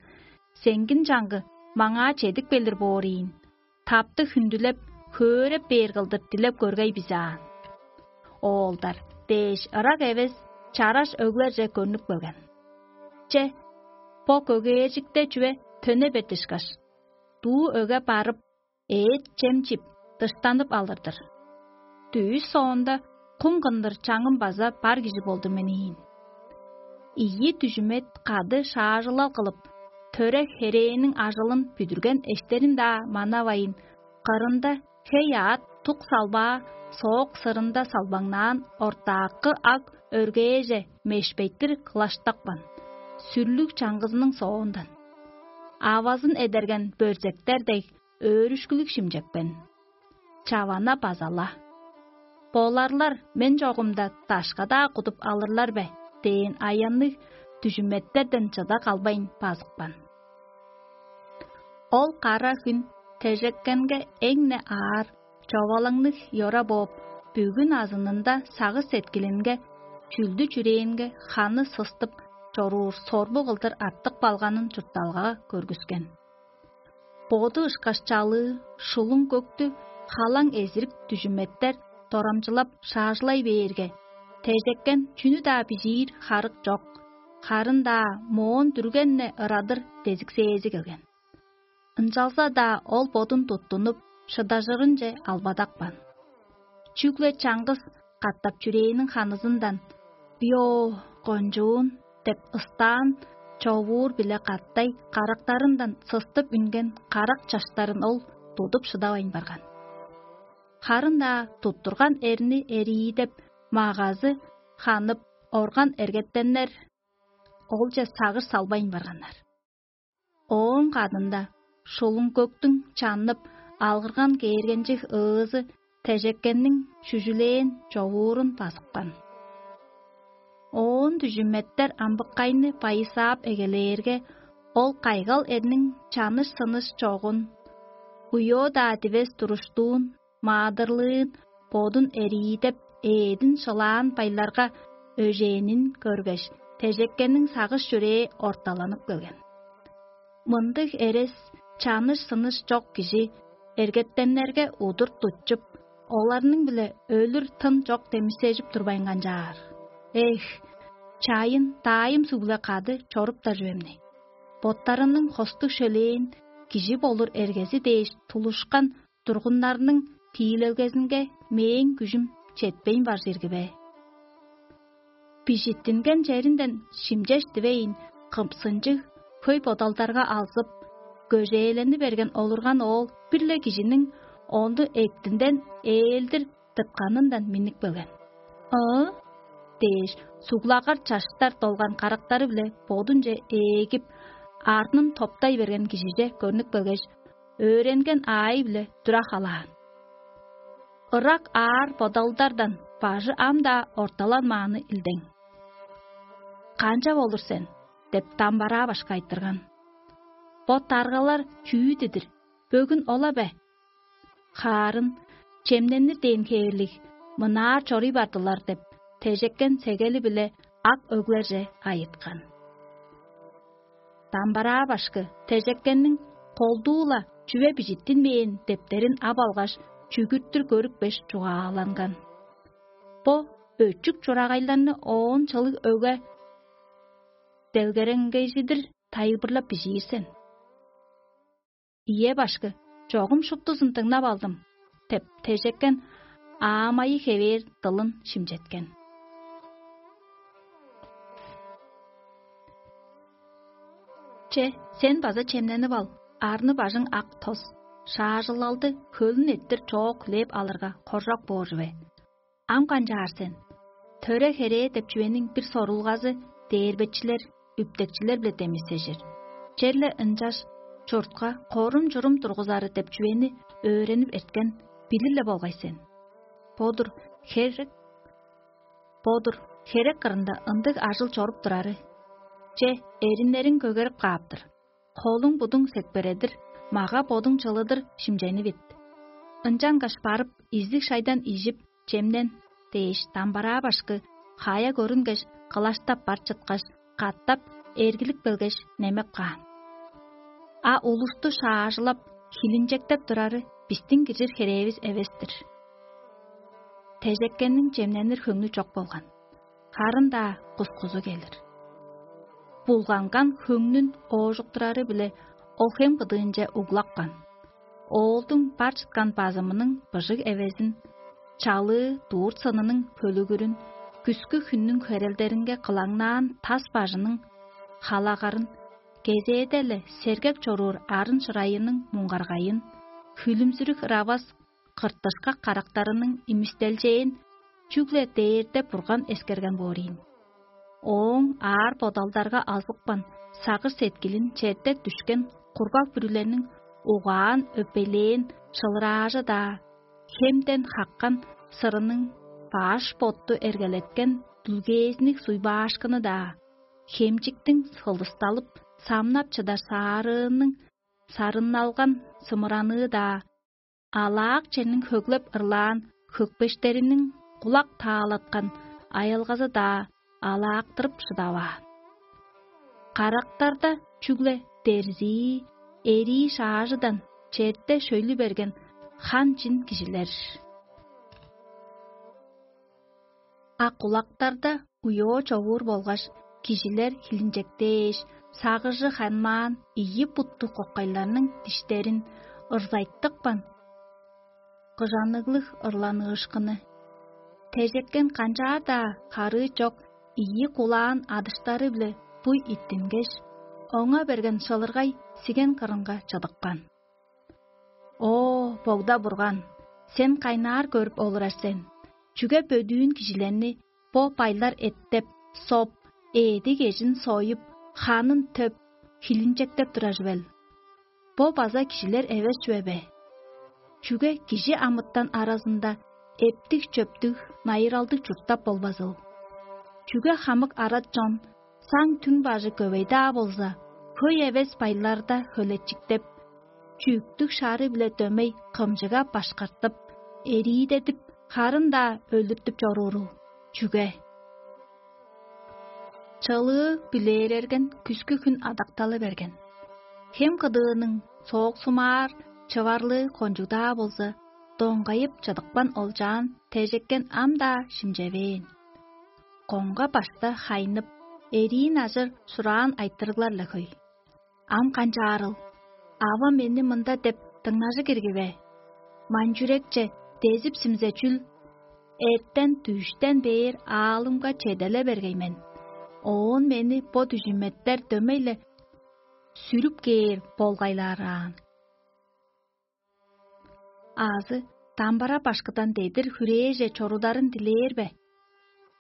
сеңгин чаңгы маңаа чедип келир боор ийин. Тапты хүндүлеп, хөөреп бээр кылдыр дилеп көргей бис аан». Оолдар дээш ырак эвес чараш өглерже көрнүп келген. Че, бо көгээржикте чүве төне бердишкаш, дуу өге барып, эът-чем чип, дыштанып алыр-дыр. Дүъш соонда кум кындыр чаңым база бар кижи болду мен ийин. Ийи дүжүмет кады шаажылал кылып, төре херээниң ажылын бүдүрген эштерин-даа манавайн, кырында хей-аът тук салбаа соок сырында салбаңнаан ортаакы ак өргээже мешпейттир кылаштапкан, сүрлүг чаңгызының соондан. Авазын эдерген бөрзектер дег өөрүшкүлүг шимчепкен. Чавана база-ла: «Боларлар мен чогумда дашка-даа кудуп алырлар бе?» – дээн аянныг дүжүметтерден чыда калбайн базыпкан. Ол кара хүн тежеккенге эң-не аар, човалаңныг йора бооп, бүгүн азынында сагыш-сеткилинге, чүлдү-чүрээнге ханы сыстып чоруур сорбу кылдыр артып калганын чуртталгага көргүскен. Боду ышкаш чалыы, шулуң көктү халаң эзирик дүжүметтер дорамчылап шаажылай бээрге, тежеккен чүнү-даа бижиир харык чок, харын-даа моон дүрген-не ырадыр дезиксээзи келген. Ынчалза-даа ол бодун туттунуп, шыдажырынче албадапкан. Чүгле чаңгыс катап чүрээниң ханызындан: «Био, кончуун!» – деп ыстаан, човуур-биле катай карактарындан сыстып үнген карак чаштарын ол тудуп шыдавайн барган. Харын-даа туттурган эрни эриидеп, магазы ханып, орган эргеттеннер олче сагыш салбайн барганнар. Ооң кадында шулуң көктүң чаннып, алгырган кээргенчиг ыызы тежеккенниң шүжүлээн човуурун базыпкан. Оон дүжүметтер амбыккайны байысаап эгелээрге, ол кайгал эрниң чаныш-сыныш чогун, уйоо-даа дивес туруштуун, маадырлыын, бодун эриидеп, ээдин шылаан байларга өжээнин көргеш, тежеккениң сагыш-чүрээ орталанып келген. Мындыг эрес, чаныш-сыныш чок кижи эргеттеннерге удур тутчуп, оларның-биле өлүр тын чок демисежип турбайн канчаар. Эх, чайын даайым суг-биле кады чоруптар чүвемни. Боттарының хостуг шөлээн кижи болур эргези дээш тулушкан тургуннарның тиилелгезинге мээң күжүм четпейн бар чирги бе? Бижиттинген черинден шимчеш дивейн, кымсынчыг, хөй бодалдарга алзып, көжээлени берген олурган оол бир-ле кижиниң ону эктинден ээлдир тыпканындан миннип келген. «Ыы?» – дээш, суглагар чаштар долган карактары-биле бодунче ээлгип, арнын топтай берген кижиже көрнүп келгеш, өөренген аайы-биле тура халаан. Ырак аар бодалдардан бажы ам-даа орталанмааны илдең. «Канчап олур сен?» – деп, дамбараа башка айтырган. «Бо даргалар чүү дидир? Бөгүн ола бе?» Хаарын, чемненир дээн хээрлиг, мынаар чоруй бардылар деп, тежеккен сегели-биле ак өглерже айыткан. Дамбараа башкы тежеккенниң колдуу-ла чүве бижиттинмээн дептерин ап алгаш, чүгүртүр көрүпкеш, чугааланган: «Бо өчүк чурагайларны оон чылыг өгге делгеренгейжидир тайылбырлап бижиир сен». «Ийе, башкы, чогум шуптузун дыңнап алдым» – деп, тежеккен аамайы хевээр дылын шимчеткен. Че, сен база чемненип ал, арны-бажың ак тос, шаажылалды хөлүн эрттир чоок хүлээп алырга, хоржок боор чүве. Ам канчаар сен? Төре-херээ деп чүвениң бир сорулгазы дээрбечилер, үптекчилер-биле демисежир. Черле ынчаш чуртка корум-чурум тургузары деп чүвени өөренип эрткен, билир-ле болгай сен. Бо-дур херек, бо-дур херек кырында ындыг ажыл чоруп турары. Че, эриннериң көгерип кааптыр. Холуң-будуң секпередир, мага-бодуң чылыдыр шимченивит. Ынчангаш барып, изиг шайдан ижип, чемнен» – дээш, дамбараа башкы хая көрүнгеш, кылаштап бар чыткаш, катап эргилип келгеш, немеп каан. А улусту шаажылап, хилинчектеп турары бистиң киржир херээвис эвес-тир. Тежеккенниң чемненир хөңнү чок болган, харын-даа кускузу келир. Булганган хөңнүн оожуктурары-биле ол хем кыдыынче углапкан. Оолдуң бар чыткан базымының быжыг эвезин, чалыы дуур сынының хөлүгүрүн, күскү хүннүң херелдеринге кылаңнаан тас бажының халагарын, кезээде-ле сергек чоруур арын шырайының муңгаргайын, хүлүмзүрүг ыравас кыртышкак карактарының имистелчээн чүгле дээрде Бурган эскерген боор ийин. Ооң аар-бодалдарга алгыпкан сагыш-сеткилин черде дүшкен кургаг бүрүлерниң угаан-өпейлээн шылыраажы-даа, хемден хаккан сырының баш-ботту эргелеткен дүлгээзиник суйбаашкыны-даа, хемчиктиң сылдысталып, самнап чыдар саарыының сарынналган сымыраныы-даа, алаак черниң хөглеп ырлаан хөкпештериниң кулак таалаткан аялгазы-даа алаактырып шыдаваан. Карактарда чүгле дерзии, эрии шаажыдан черде шөйлү берген хан-чин кижилер. А кулактарда уйоо човуур болгаш, кижилер хилинчектээш, сагыжы ханмаан ийи буттуг кокайларның диштерин ырзайтыпкан кыжаныглыг ырланыышкыны. Тежеккен канчаар-даа харыы чок ийи кулаан адыштары-биле буй иттингеш, оңа берген шылыргай сиген кырынга чыдыпкан. О, Богда Бурган, сен кайнаар көрүп олурар сен? Чүге бөдүүн кижилерни бо байлар эттеп, соп, ээди-кежин союп, ханын төп, хилинчектеп турар чүвел? Бо база кижилер эвес чүве бе? Чүге кижи амытан аразында эптиг-чөптүг, найыралдыг чурттап болбазыл? Чүге хамык арат чон саң түң бажы көвей-даа болза, хөй эвес байларда хөлечиктеп, чүъктүг шаары-биле дөмей кымчыга башкартып, эриидедип, харын-даа өлүртүп чоруурул? Чүге? Чылыы билээрерген күскү хүн адакталы берген. Хем кыдыының сооксумаар чыварлыы кончуг-даа болза, доңгайып чыдыпкан олчаан тежеккен ам-даа шимчевээн. Коңга башта хайнып, эриин ажыр сураан айтырыглар-ла хөй. Ам канчаарыл? Ава мени мында деп дыңнажы кирги бе? Манчүрекче дезип симзе чүл? Эртен дүъштен бээр аалымга чеделе бергей мен. Оон мени бо дүжүметтер дөмей-ле сүрүп кээр болгайлараан. Аазы дамбара башкыдан дедир хүрээже чорударын дилээр бе?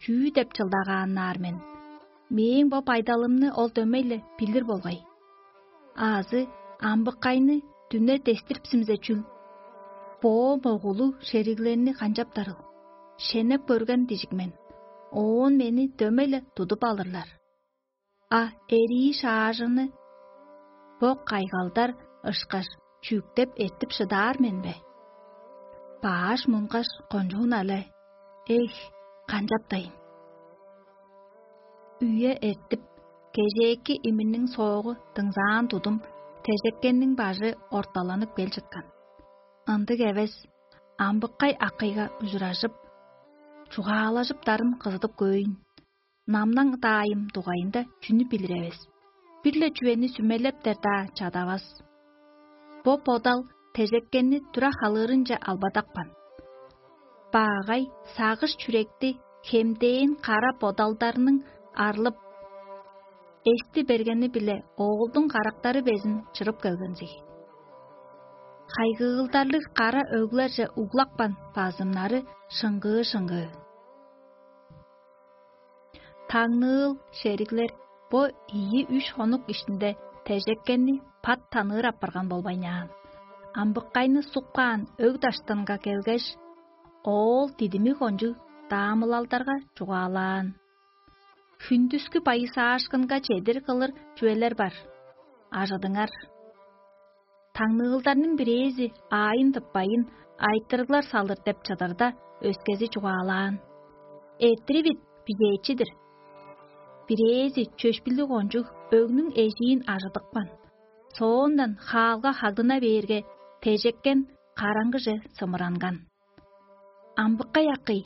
Чүү деп чылдагааннаар мен? Мээң бо байдалымны ол дөмей-ле билир болгай. Аазы амбыккайны дүне дестирипсимзе чүл? Боо могулуг шериглерни канчаптарыл? шенеп көрген дижик мен, оон мени дөмей-ле тудуп алырлар. А эрии шаажыны бо кайгалдар ышкаш чүктеп эртип шыдаар мен бе? Бааш мунгаш кончуун але, эх, канчаптайын? Үе эртип, кежээки иминниң соогу дыңзаан тудум, тежеккенниң бажы орталанып кел чыткан. Ындыг эвес, амбыккай акыйга ужуражып, чугаалажыптарын кызыдып көйн. Намнаң даайым дугайында чүнү билир эвес, бир-ле чүвени сүмелептер-даа чадавас. Бо бодал тежеккенни тура халыырынче албадапкан. Баагай сагыш чүректи хемдээн кара бодалдарның арлып, эсти бергени-биле оолдуң карактары безин чырып келгензиг. Хайгыылдарлыг кара өглерже углапкан базымнары шыңгыы-шыңгыы. Таңныыл шериглер бо ийи-үш хонук иштинде тежеккенни пат таныыр апарган болбайнаан. Амбыккайны суккаан өг даштынга келгеш, оол дидими кончуг даамылалдарга чугаалаан: «Хүндүскү байысаашкынга чедир кылыр чүвелер бар. Ажыдыңар». Таңныылдарның бирээзи аайын тыппайын айтырыглар салыр деп чыдырда, өскези чугаалаан: «Эртиривит бижээчи-дир». Бирээзи чөпшүлүг кончуг өгнүң эжиин ажыдыпкан. Соондан хаалга хагдына бээрге, тежеккен караңгыже сымыранган. Амбыккай акый,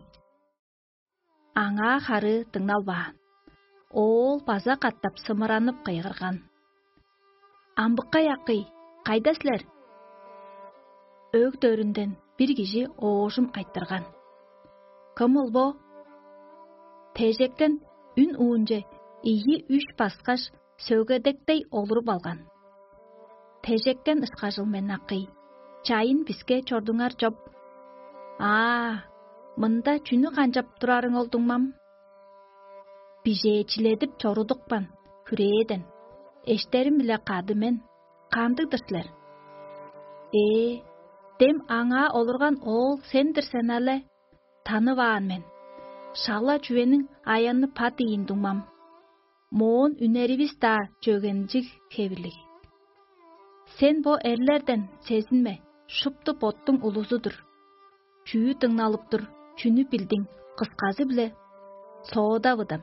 аңаа харыы дыңналбаан. Оол база катап сымыранып кыйгырган: «Амбыккай акый, кайда силер?» Өг-дөрүнден бир кижи оожум айтырган: «Кымыл бо?» Тежектен үн уунче ийи-үш баскаш, сөгедектей олуруп алган. «Тежектен ышкажыл мен, акый, чайын биске чордуңар чоп». «Аа, мында чүнү канчап турарың ол, дуңмам?» «Бижээчиледип чорудупкан хүрээден, эштерим-биле кады мен. Кандыг-дыр силер?» «Ээ, дем аңаа олурган оол сен-дир сен але? Танываан мен. Шала чүвениң аянны пат ийин, дуңмам. Моон үнеривис-даа чөгенчиг хевирлиг. Сен бо эрлерден сезинме, шупту боттуң улузу-дур. Чүү дыңналып тур, чүнү билдиң, кысказы-биле соодавыдам».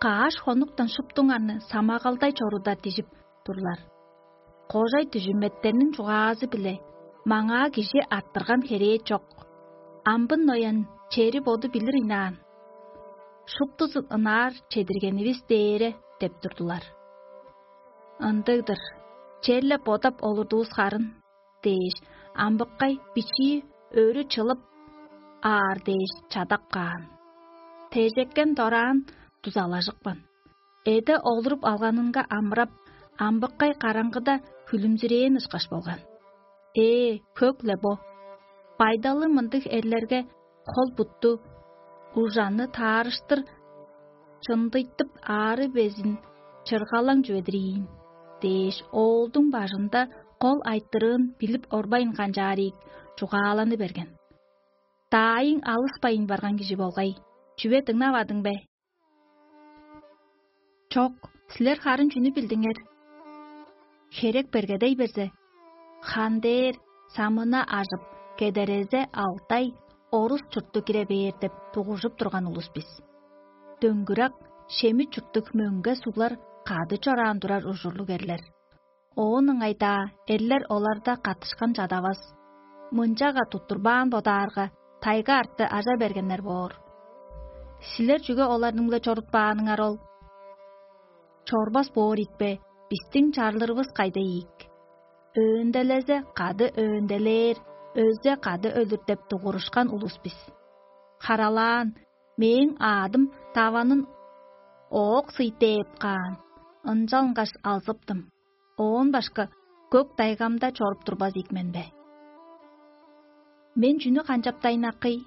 Каш хонуктан шуптуңарны самагалдай чоруда дижип турлар. Кожай дүжүметтерниң чугаазы-биле маңаа кижи арттырган херээ чок. Амбын ноян чери боду билир ыйнаан. Шуптузун ынаар чедиргенивис дээре деп турдулар. Ындыг-дыр, черле бодап олурдувус харын дээш, амбыккай бичии өрү чылып аар дээш чадап каан. Тежеккен дораан дузалажыпкан. Эде олуруп алганынга амырап, амбыккай караңгыда хүлүмзүрээн ышкаш болган. Ээ, хөк-ле бо. Байдалы мындыг эрлерге хол-бутту, ужаны таарыштыр чындыйтып аары безин чыргалаң чүведир ийин дээш, оолдуң бажында кол айтырыын билип орбайн канчаарыг чугааланы берген. Даайың алыспайн барган кижи болгай, чүве дыңнавадың бе? Чок, силер харын чүнү билдиңер? Херек бергедей берзе, хандээр самына ажып, кедерезе алтай орус чуртту кире бээр деп дугуржуп турган улус бис. Дөңгүрак, шемит чурттуг мөңге суглар кады чораан турар ужурлуг эрлер. Оон ыңай-даа эрлер оларда каттышкан чадавас. Мынчага туттурбаан бодаарга, тайга арты ажа бергеннер боор. Силер чүге оларның-биле чорутпааныңар ол? Чорбас боор ийикпе, бистиң чарлырывыс кайда ийик? Өөнделезе кады өөнделээр, өлзе кады өлүр деп дугурушкан улус бис. Харалаан, мээң аадым даванын оок сый дээп каан, ынчалгаш алзыптым. Оон башка көк дайгамда чоруп турбас ийик мен бе? Мен чүнү канчаптайн акый?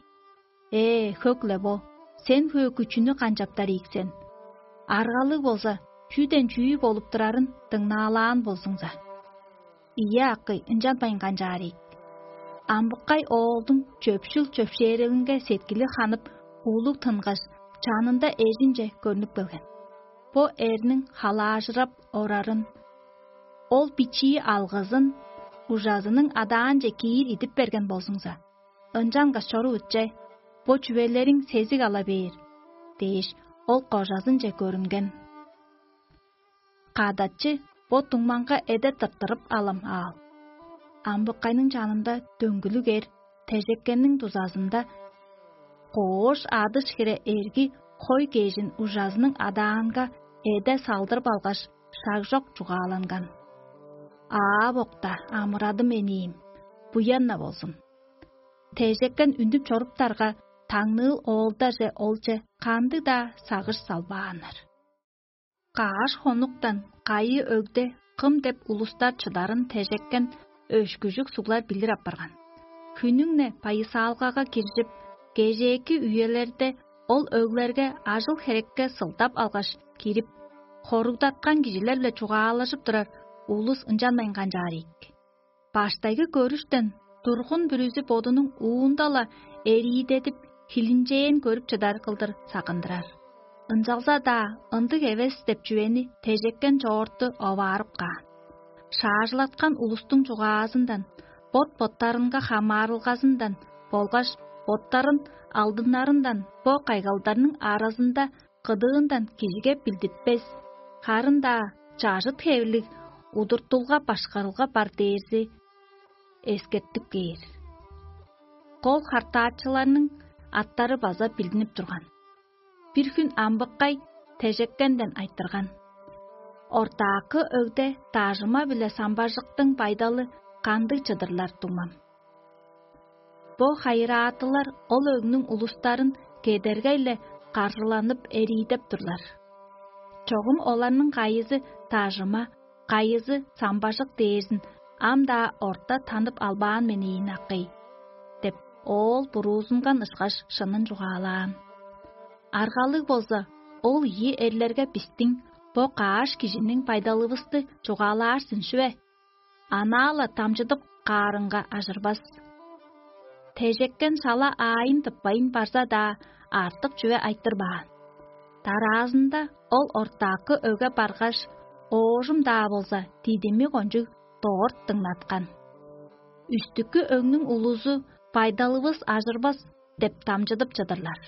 Ээ, хөк-ле бо, сен хөөкү чүнү канчаптар ийик сен? Аргалыг болза, чүүден чүү болуп турарын дыңнаалаан болзуңза. Ийе, акый, ынчанмайн канчаар ийик. Амбыккай оолдуң чөпшүл чөпшээрелинге сеткили ханып, улуг тынгаш, чанында эжинче көрнүп келген. Бо эрниң халаажырап орарын, ол бичии алгызын ужазының адаанче киир идип берген болзуңза, ынчангаш чорувут че, бо чүвелериң сезиг ала бээр» – дээш, ол кожазынче көрүнген. Кадачы бо дуңмаңга эде тырттырып алам аал. Амбыккайның чанында дөңгүлүг эр тежеккенниң дузазында коош адыш хире эрги хой кежин ужазының адаанга эде салдырып алгаш, шаг чок чугааланган: «Аа бокта, амырадым эниим, буянна болзун». Тежеккен үнүп чоруптарга, таңныыл оолдаже олче кандыг-даа сагыш салбааннар. Кааш хонуктан кайы өгде кым деп улустар чыдарын тежеккен өшкүжүк суглар билир апарган. Хүнүң-не байысаалгага киржип, кежээки үелерде ол өглерге ажыл-херекке сылдап алгаш кирип, хоругдаткан кижилер-биле чугаалажып турар улус ынчанмайн канчаар ийик. Баштайгы көрүштен тургун бүрүзү бодунуң уунда-ла эриидедип, хилинчээн көрүп чыдар кылдыр сагындырар. Ынчалза-даа ындыг эвес деп чүвени тежеккен чоорту оваарып каан. Шаажылаткан улустуң чугаазындан, бот-боттарынга хамаарылгазындан болгаш боттарын алдыннарындан бо кайгалдарның аразында кыдыындан кижиге билдитпес, харын-даа чажыт хевирлиг удуртулга-башкарылга бар дээрзи эскертип кээр. Кол хартаачыларның аттары база билдинип турган. Бир хүн амбыккай тежеккенден айтырган: «Ортаакы өгде дажыма биле самбажыктың байдалы кандыг чыдырлар, дуңмам?» Бо хайыраатылар ол өгнүң улустарын кедергей-ле каржыланып эриидеп турлар. Чогум оларның кайызы дажыма, кайызы самбажык дээрзин ам-даа орта танып албаан мен ийин, акый, — деп, оол буруузунган ышкаш шынын чугаалаан. Аргалыг болза, ол ийи эрлерге бистиң бо каш кижиниң байдалывысты чугаалаар сен шүве? Анаа-ла дамчыдып каарынга ажырбас. Тежеккен шала аайын тыппайн барза-даа, артык чүве айтырбаан. Дараазында ол ортаакы өге баргаш, оожум-даа болза, дидими кончуг дорт дыңнаткан. Үстүкү өңнүң улузу: «Байдалывыс ажырбас» — деп дамчыдып чыдырлар.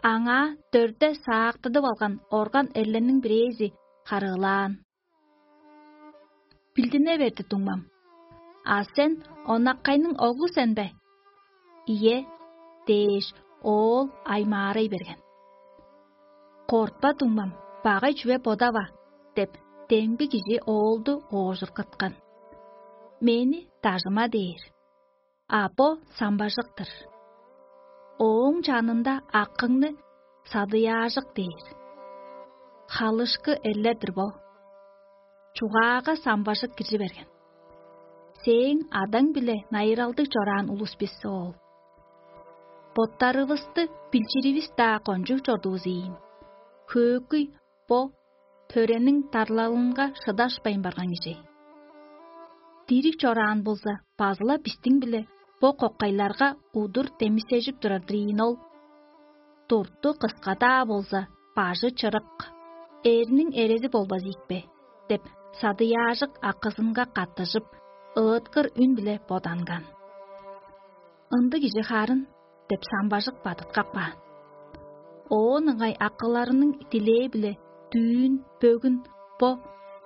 Аңаа дөрде саактыдып алган орган эрлерниң бирээзи харыылаан: «Билдине берди, дуңмам. А сен онаккайның оглу сен бе?» «Ийе» — дээш, оол аймаарай берген. «Кортпа, дуңмам, багай чүве бодава» — деп, демги кижи оолду оожургаткан. «Мени дажыма» — дээр, а бо самбажык-тыр. Ооң чанында акыңны садыяажык дээр. Халышкы эрлер-дир бо. Чугаага самбажык киржи берген: «Сээң адаң-биле найыралдыг чораан улус бис, оол. Боттарывысты билчиривис-даа кончуг чордувус ийин. Хөөкүй бо төрениң дарлалынга шыдашпайн барган кижи. Дириг чораан болза, базыла бистиң-биле бо кокайларга удур демисежип турар-дыр ийин ол. Дурту кыска-даа болза, бажы чырык, эрниң эрези болбас ийикпе» — деп, садыяажык акызынга каттыжып, ыыткыр үн-биле боданган. «Ындыг кижи харын» — деп, самбажык бадыткап каан. Оон ыңай акыларының дилээ-биле дүүн, бөгүн бо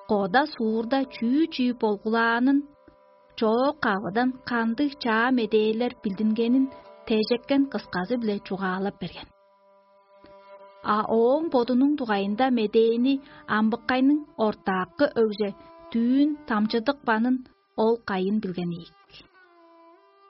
кода суурда чүү-чүү болгулаанын, чоок-кавыдан кандыг чаа медээлер билдингенин тежеккен кысказы-биле чугаалап берген. А ооң бодунуң дугайында медээни амбыккайның ортаакы өгже дүүн дамчыдыпканын ол кайын билген ийик.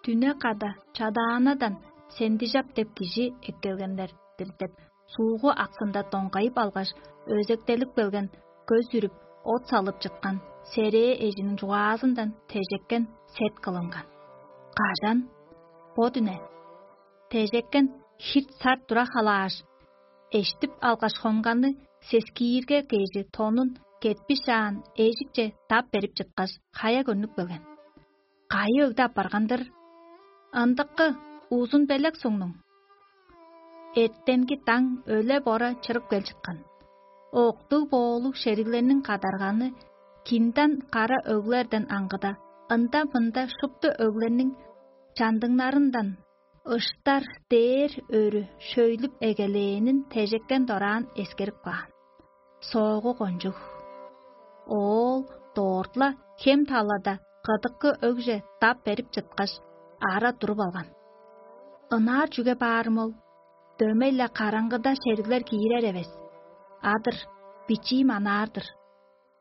Дүне када Чадаанадан Сендижап деп кижи эккелген-дир деп, суугу аксында доңгайып алгаш, өзектелип келген, көс үрүп, от салып чыткан серээ эжиниң чугаазындан тежеккен сет кылынган. Кажан? Бо дүне. Тежеккен хирт-сарт тура халааш, эштип алгаш хонганы сескиирге кежи тонун кетпишаан эжикче дап берип чыткаш, хая көрнүп келген. Кайы өгде апарган-дыр? Ындыкы узун белек сугнуң. Эртенги даң өле-бора чырып кел чыткан. Октуг-боолуг шериглерниң кадарганы кинден кара өглерден аңгыда, ында-мында шупту өглерниң чандыңнарындан ыштар дээр өрү шөйлүп эгелээнин тежеккен дораан эскерип каан. Соогу кончуг. Оол дорт-ла хем талада кыдыкы өгже дап берип чыткаш, ара туруп алган. Ынаар чүге баарым ол? Дөмей-ле караңгыда шериглер киирер эвес. Адыр, бичиим анаар-дыр.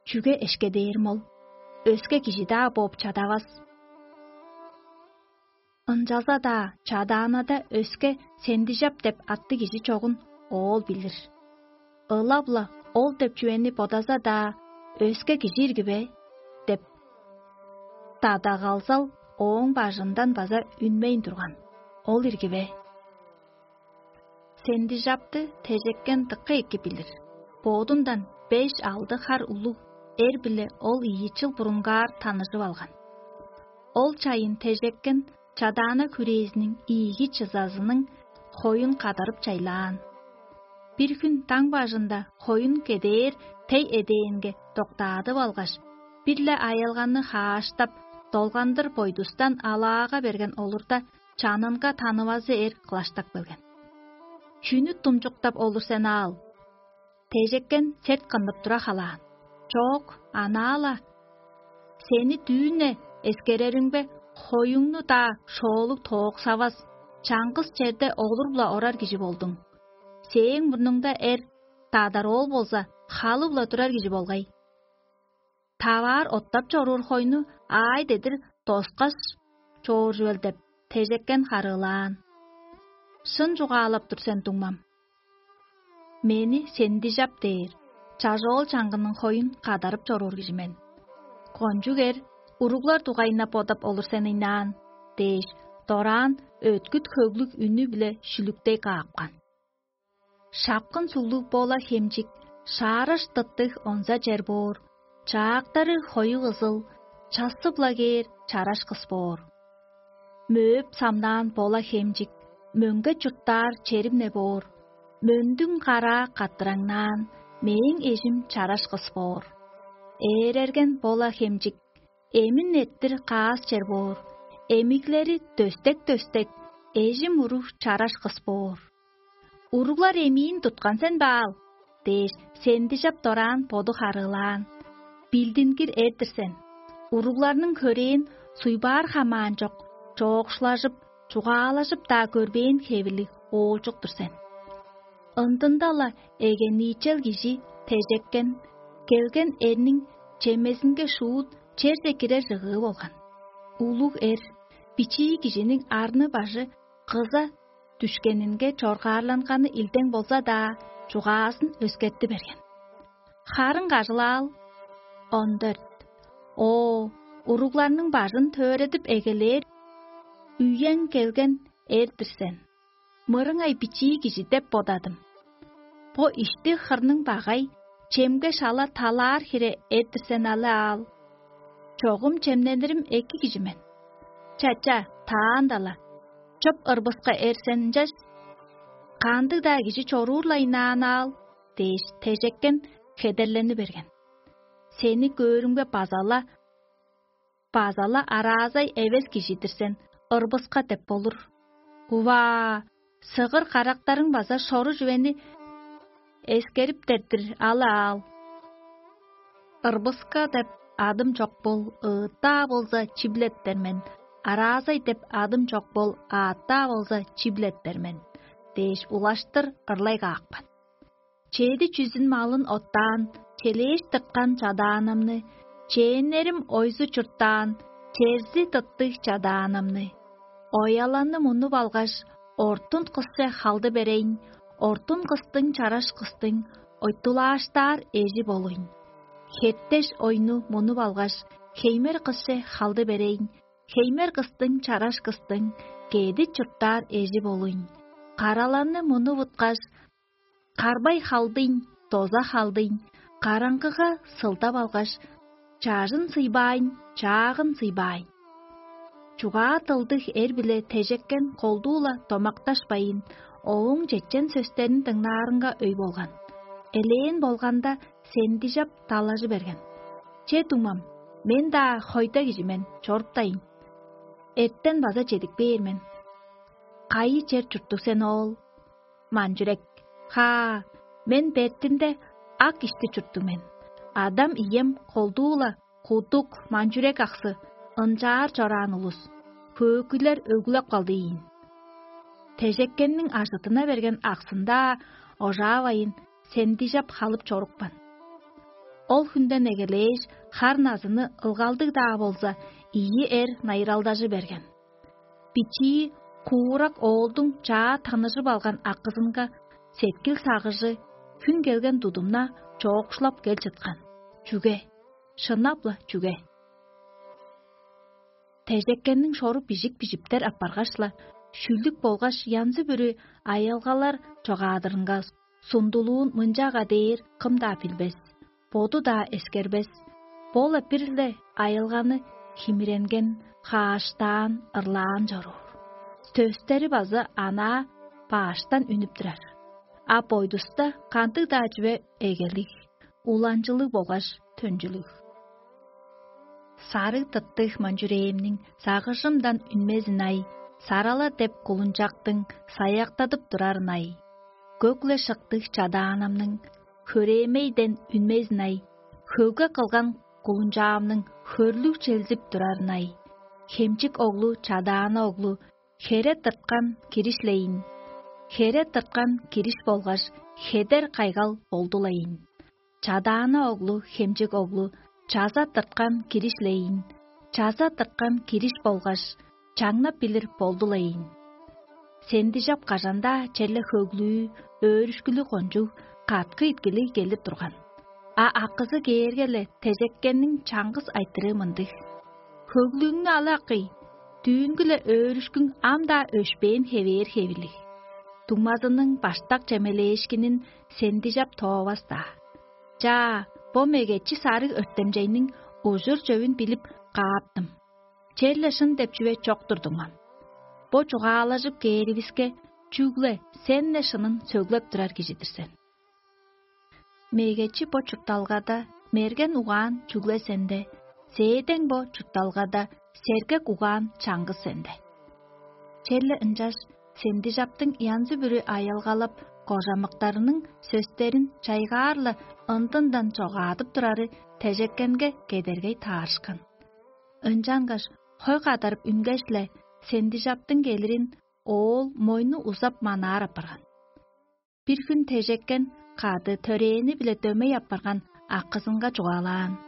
Чүге эшкедээрим ол? Өске кижи-даа бооп чадавас. Ынчалза-даа чадаанада өске сендижап деп атты кижи чогун оол билир. Ылап-ла ол деп чүвени бодаза-даа, өске кижи ирги бе? Деп дадагалзал ооң бажындан база үнмейн турган. Ол ирги бе? Сендижапты тежеккен дыка эки билир. Боодундан беш-алды хар улуг эр-биле ол ийи чыл бурунгаар таныжып алган. Ол чайын тежеккен чадаана хүрээзиниң ийиги чызазының хоюн кадарып чайлаан. Бир хүн даң бажында хоюн кедээр тей эдээнге доктаадып алгаш, бир-ле аялганы хааштап, долгандыр бойдустан алаага берген олурда, чанынга танывазы эр кылаштап келген. «Чүнү думчуктап олур сен аал?» Тежеккен сет кыннып тура халаан. «Чоок, анаа-ла. Сени дүүн-не эскереримге, хоюңну-даа шоолуг тооксавас, чаңгыс черде олуруп-ла орар кижи болдуң. Сээң мурнуңда эр дадар оол болза, халып-ла турар кижи болгай. Таваар оттап чоруур хойну аай дедир доскаш чооржувел» деп, тежеккен харыылаан. «Шын чугаалап тур сен, дуңмам. Мени сендижап дээр, чажоол чаңгының хоюн кадарып чоруур кижи мен. Кончуг эр уруглар дугайында бодап олур сен ыйнаан» – дээш, дораан өткүт хөглүг үнү-биле шүлүктей каапкан. Шапкын суглуг бола хемчик, шаараш тыттыг онза чер боор, чаактары хоюг ызыл, чассып-ла кээр чараш кыс боор. Мөөп самнаан бола хемчик, мөңге чурттаар черим-не боор, мөндүң караа каттыраңнаан, мээң эжим чараш кыс боор. Ээрерген бола хемчик, эмин эрттир каас чер боор, эмиглери дөстек-дөстек, эжим уруг чараш кыс боор. «Уруглар эмиин туткан сен бе аал?» – дээш, сендижап дораан боду харыылаан. «Билдингир эр-дир сен. Уругларның хөрээн суйбаар хамаан чок, чоокшулажып, чугаалажып-даа көрбээн хевирлиг оолчук-тур сен». Ындында-ла эгениичел кижи тежеккен, келген эрниң чемезинге шуут черже кирер чыгыы болган. Улуг эр бичии кижиниң арны-бажы кыза дүшкенинге чоргаарланганы илдең болза-даа, чугаазын өскерти берген. Харын кажылаал. Он дөрт. О, уругларның бажын төредип эгелээр үең келген эр-дир сен. Мырыңай бичии кижи деп бодадым. Бо ишти хырның багай, чемге шала талаар хире эр-дир сен алы аал. Чогум чемненирим эки кижи мен. Чача, таанда-ла, чоп ырбыска эр сен ынчаш, кандыг-даа кижи чоруур-ла ынаан аал дээш, тежеккен хедерлени берген. Сени көөрүмге база-ла, база-ла араазай эвес кижи-дир сен, ырбыска деп болур. Уваа, сыгыр карактарың база шору чүвени эскериптер-дир алы аал. Ырбыска деп адым чок бол, ыыттаа болза чиблеттер мен, араазай деп адым чок бол, ааттаа болза чиблеттер мен дээш, улаштыр ырлай каапкан. Чеди чүзүн малын оттаан, челээш тырткан чадаанымны, чээннерим ойзу чурттаан, черзи тыттыг чадаанымны. Ояланы мунуп алгаш, ортун кысче халды берейн, ортун кыстың чараш кыстың ойтулааштаар эжи болуйн. Хеттеш ойну мунуп алгаш, хеймер кысче халды берейн, хеймер кыстың чараш кыстың кеди чурттаар эжи болуйн. Караланы мунуп уткаш, карбай халдыйн, доза халдыйн, караңгыга сылдап алгаш, чажын сыйбаайн, чаагын сыйбаайн. Чугаа дылдыг эр-биле тежеккен колдуу-ла домакташпайн, ооң чечен сөстерин дыңнаарынга өй болган. Элээн болганда, сендижап далажы берген: «Че, дуңмам, мен-даа хойда кижи мен, чоруптайн. Эртен база чедип кээр мен. Кайы чер чурттуг сен, оол?» Манчүрек: «Хаа, мен бертинде ак ишти чурттуг мен. Адам-ием колдуу-ла кудук манчүрек аксы, ынчаар чораан улус, хөөкүйлер өгүлеп калды ийин». Тежеккенниң ажыдына берген аксында ожаавайын, сендижап халып чорупкан. Ол хүнден эгелээш, хар-назыны ылгалдыг-даа болза, ийи эр найыралдажы берген. Бичии куурак оолдуң чаа таныжып алган акызынга сеткил сагыжы хүн келген тудумна чоокшулап кел чыткан. Чүге? Шынап-ла чүге? Тежеккенниң шору бижик бижиптер апаргаш-ла, шүлүк болгаш янзы-бүрү аялгалар чогаадырынга сундулуун мынчага дээр кым-даа билбес, боду-даа эскербес, бо-ла бир-ле аялганы химиренген, хааштаан, ырлаан чоруур. Төстери база анаа бааштан үнүп турар. А бойдуста кандыг-даа чүве эгелиг, уланчылыг болгаш төнчүлүг. Сарыг тыттыг манчүрээмниң сагыжымдан үнмезин ай, сарала деп кулунчактың саяктадып турарын ай, көк-ле шыктыг чадаанамның хөрээмейден үнмезин ай, хөвге кылган кулунчаамның хөрлүг челзип турарын ай, хемчик оглу, чадаана оглу, хере тырткан киришилейин, хере тырткан кириш болгаш хедер кайгал болдулайын. Чадаана оглу, хемчик оглу, чаза тырткан киришилейин, чаза тырткан кириш болгаш чаңнап билир болдулайын. Сендижап кажан-даа черле хөглүү, өөрүшкүлүг кончуг, каткы иткили келип турган. А акызы кээрге-ле тежеккенниң чаңгыс айтырыы мындыг: «Хөглүүңнү ала, акый, дүүнгү-ле өөрүшкүң ам-даа өшпээн хевээр хевирлиг. Дуңмазының баштак чемелээшкинин сендижап тоовас-даа. Чаа, бо мегечи сарыг өртемчейниң ужур-чөвүн билип кааптым. Черле шын деп чүве чок-тур, дуңмам. Бо чугаалажып кээривиске, чүгле сен-не шынын сөглеп турар кижи-дир сен. Мегечи бо чуртталгада мерген угаан чүгле сенде, сээдең бо чуртталгада сергек угаан чаңгыс сенде». Черле ынчаш сендижаптың янзы-бүрү аялгалап, кожамыктарының сөстерин чайгаар-ла ындындан чогаадып турары тежеккенге кедергей таарышкан. Ынчангаш хой кадарып үнгеш-ле, сендижаптың келирин оол мойну узап манаар апарган. Бир хүн тежеккен кады төрээни-биле дөмей апарган акызынга чугаалаан: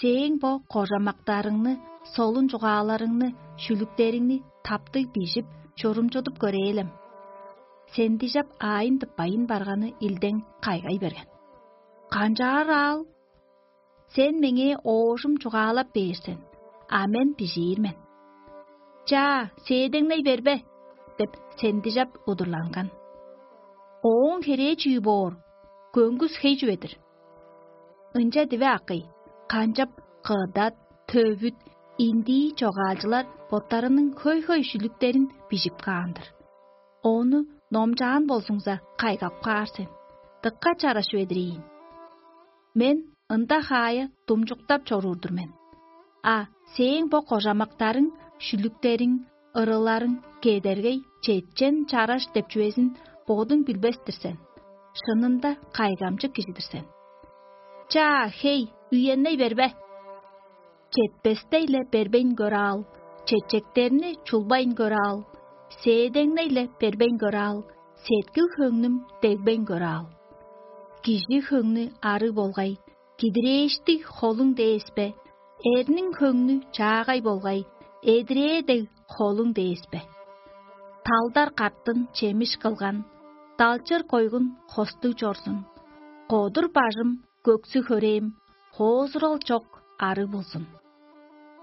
«Сээң бо кожамактарыңны, солун чугааларыңны, шүлүктериңни таптыг бижип, чурумчудуп көрээлем». Сендижап аайын тыппайын барганы илдең кайгай берген: «Канчаар аал? Сен меңээ оожум чугаалап бээр сен, а мен бижиир мен». «Чаа, сээдеңней бербе» – деп, сендижап удурланган. «Ооң херээ чүү боор? Көңгүс хей чүве-дир». Ынча диве, акый, канчап кыдат, төвүт, индии чогаалчылар боттарының хөй-хөй шүлүктерин бижип каан-дыр. Ону номчаан болзуңза, кайгап каар сен. Дыка чараш чүве-дир ийин. Мен ында хаая думчуктап чоруур-дур мен. А сээң бо кожамактарың, шүлүктериң, ырыларың кедергей, четчен, чараш деп чүвезин бодуң билбес-тир сен. Шынында кайгамчык кижи-дир сен. Чаа, хей, үенней бербе. Четпестей-ле бербейн көр аал, чечектерни чулбайн көр аал, сээдеңней-ле бербейн көр аал, сеткил-хөңнүм дегбейн көр аал. Кижи хөңнү арыг болгай, кидирээштиг холуң дээспе, эрниң хөңнү чаагай болгай, эдирээ дег холуң дээспе. Талдар картын чемиш кылган, далчыр койгун хостуг чорзун. Кодур бажым, көксү хөрээм, хоозурал чок арыг болзун.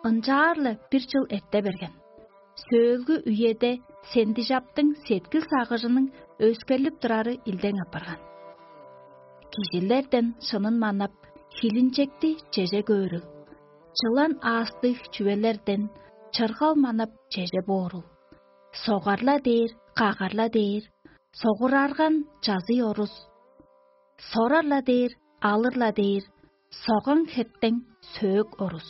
Ынчаар-ла бир чыл эрте берген. Сөөлгү үеде сендижаптың сеткил-сагыжының өскерлип турары илдең апарган. Кижилерден шынын манап, хилинчекти чеже көөрү, чылан аастыг чүвелерден чыргал манап чеже боорул. Согар-ла дээр, кагар-ла дээр, согурарган чазый орус. Сорар-ла дээр, алыр-ла дээр, соган хептең сөөк орус.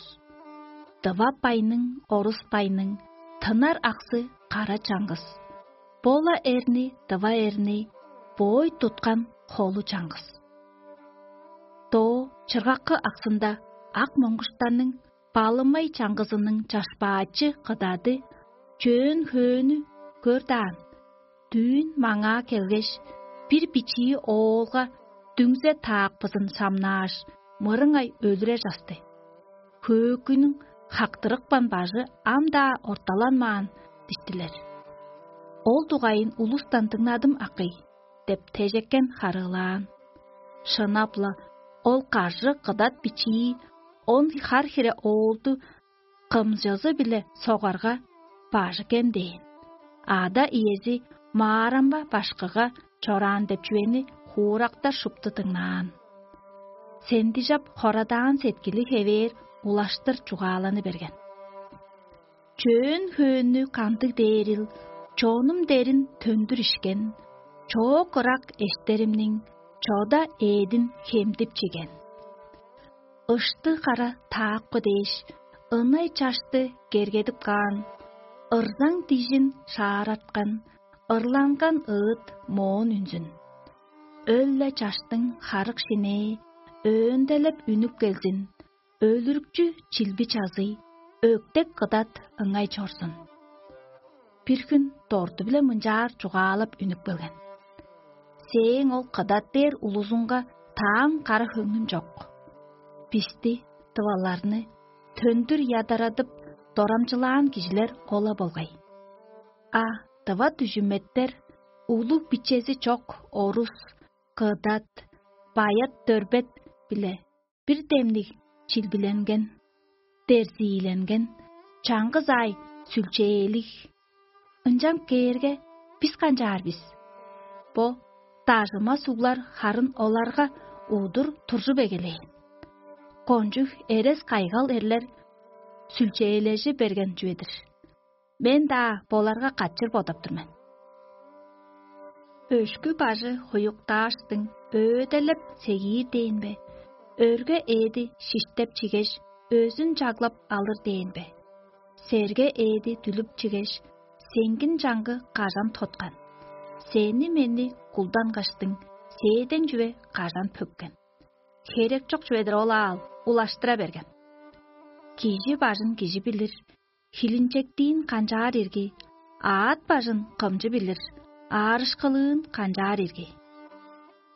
Дыва байның, орус байның тынар аксы кара чаңгыс. Бола эрни, дыва эрни боой туткан холу чаңгыс. Доо чыргаккы аксында ак моңгуштарның балымай чаңгызының чашпаачы кыдады чөөн хөөнү көр даан, дүүн маңаа келгеш, бир бичии оолга дүңзе таакпызын самнааш, мырыңай өлүрер часты. Хөөкүнүң хактырыкпан бажы ам-даа орталанмаан диштилер. Ол дугайын улустан дыңнадым акый деп, тежеккен харыылаан. Шынап-ла, ол каржы кыдат бичии он хар хире оолду кымчызы-биле согарга, бажы кем дээн. Ада иези маарамба башкыга чораан деп чүвени хуурактар шупту дыңнаан. Сендижап хорадаан сеткили хевээр улаштыр чугааланы берген. Чөөн хөөннү кандыг дээрил, чонум дерин төндүр ишкен, чоок ырак эштеримниң чода ээдин хемдип чиген. Ышты кара таакпы дээш, ынай чашты кергедип каан, ырзаң дижин шаараткан, ырланган ыыт моон үнзүн. Өл-ле чаштың харык шинээ өөнделеп үнүп келзин, өлүрүкчү чилби чазый, өктек кыдат ыңай чорзун. Бир хүн дорду-биле мынчаар чугаалап үнүп келген: «Сээң ол кыдат дээр улузуңга таан кара хөңнүм чок. Бисти, дываларны, төндүр ядарадып, дорамчылаан кижилер ол-ла болгай. А дыва дүжүметтер, улуг бичези чок орус, кыдат, баят дөрбет биле бир демниг чилбиленген, дерзииленген, чаңгыс аай сүлчээлиг. Ынчан кээрге, бис канчаар бис? Бо дажыма суглар харын оларга удур туржуп эгелээн. Кончуг эрес-кайгал эрлер сүлчээлежи берген чүве-дир. Мен-даа боларга качыр бодап тур мен. Өшкү бажы хуюктааштың өөделеп сегиир дээн бе, өрге ээди шиштеп чигеш, өзүн чаглап алыр дээн бе? Серге ээди дүлүп чигеш, сеңгин чаңгы кажан тоткан? Сени-мени кулдангаштың, сээден чүве кажан пөккен? Херек чок чүве-дир ол аал, улаштыра берген. Кижи бажын кижи билир, хилинчектиин канчаар ирги, аът бажын кымчы билир, аарышкылыын канчаар ирги.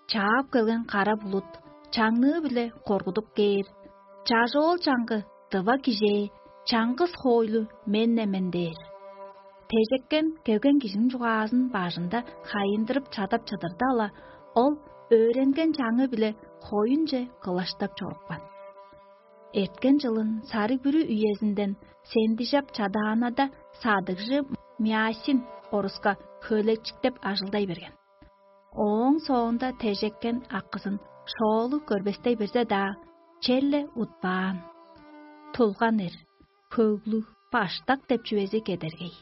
Чаап келген кара булут чаңныы-биле коргудуп кээр, чажоол чаңгы дыва кижээ чаңгыс хоойлу мен-не мен дээр. Тежеккен келген кижиниң чугаазын бажында хайындырып чадап чыдырда-ла, ол өөренген чаңы-биле хоюнче кылаштап чорупкан. Эрткен чылын сарыг бүрү үезинден сендижап чадаанада садыгжы Мясин оруска хөөлекчиктеп ажылдай берген. Ооң соонда тежеккен акызын шоолу көрбестей берзе-даа, черле утпаан. Тулган эр, хөглүг, баштак деп чүвези кедергей.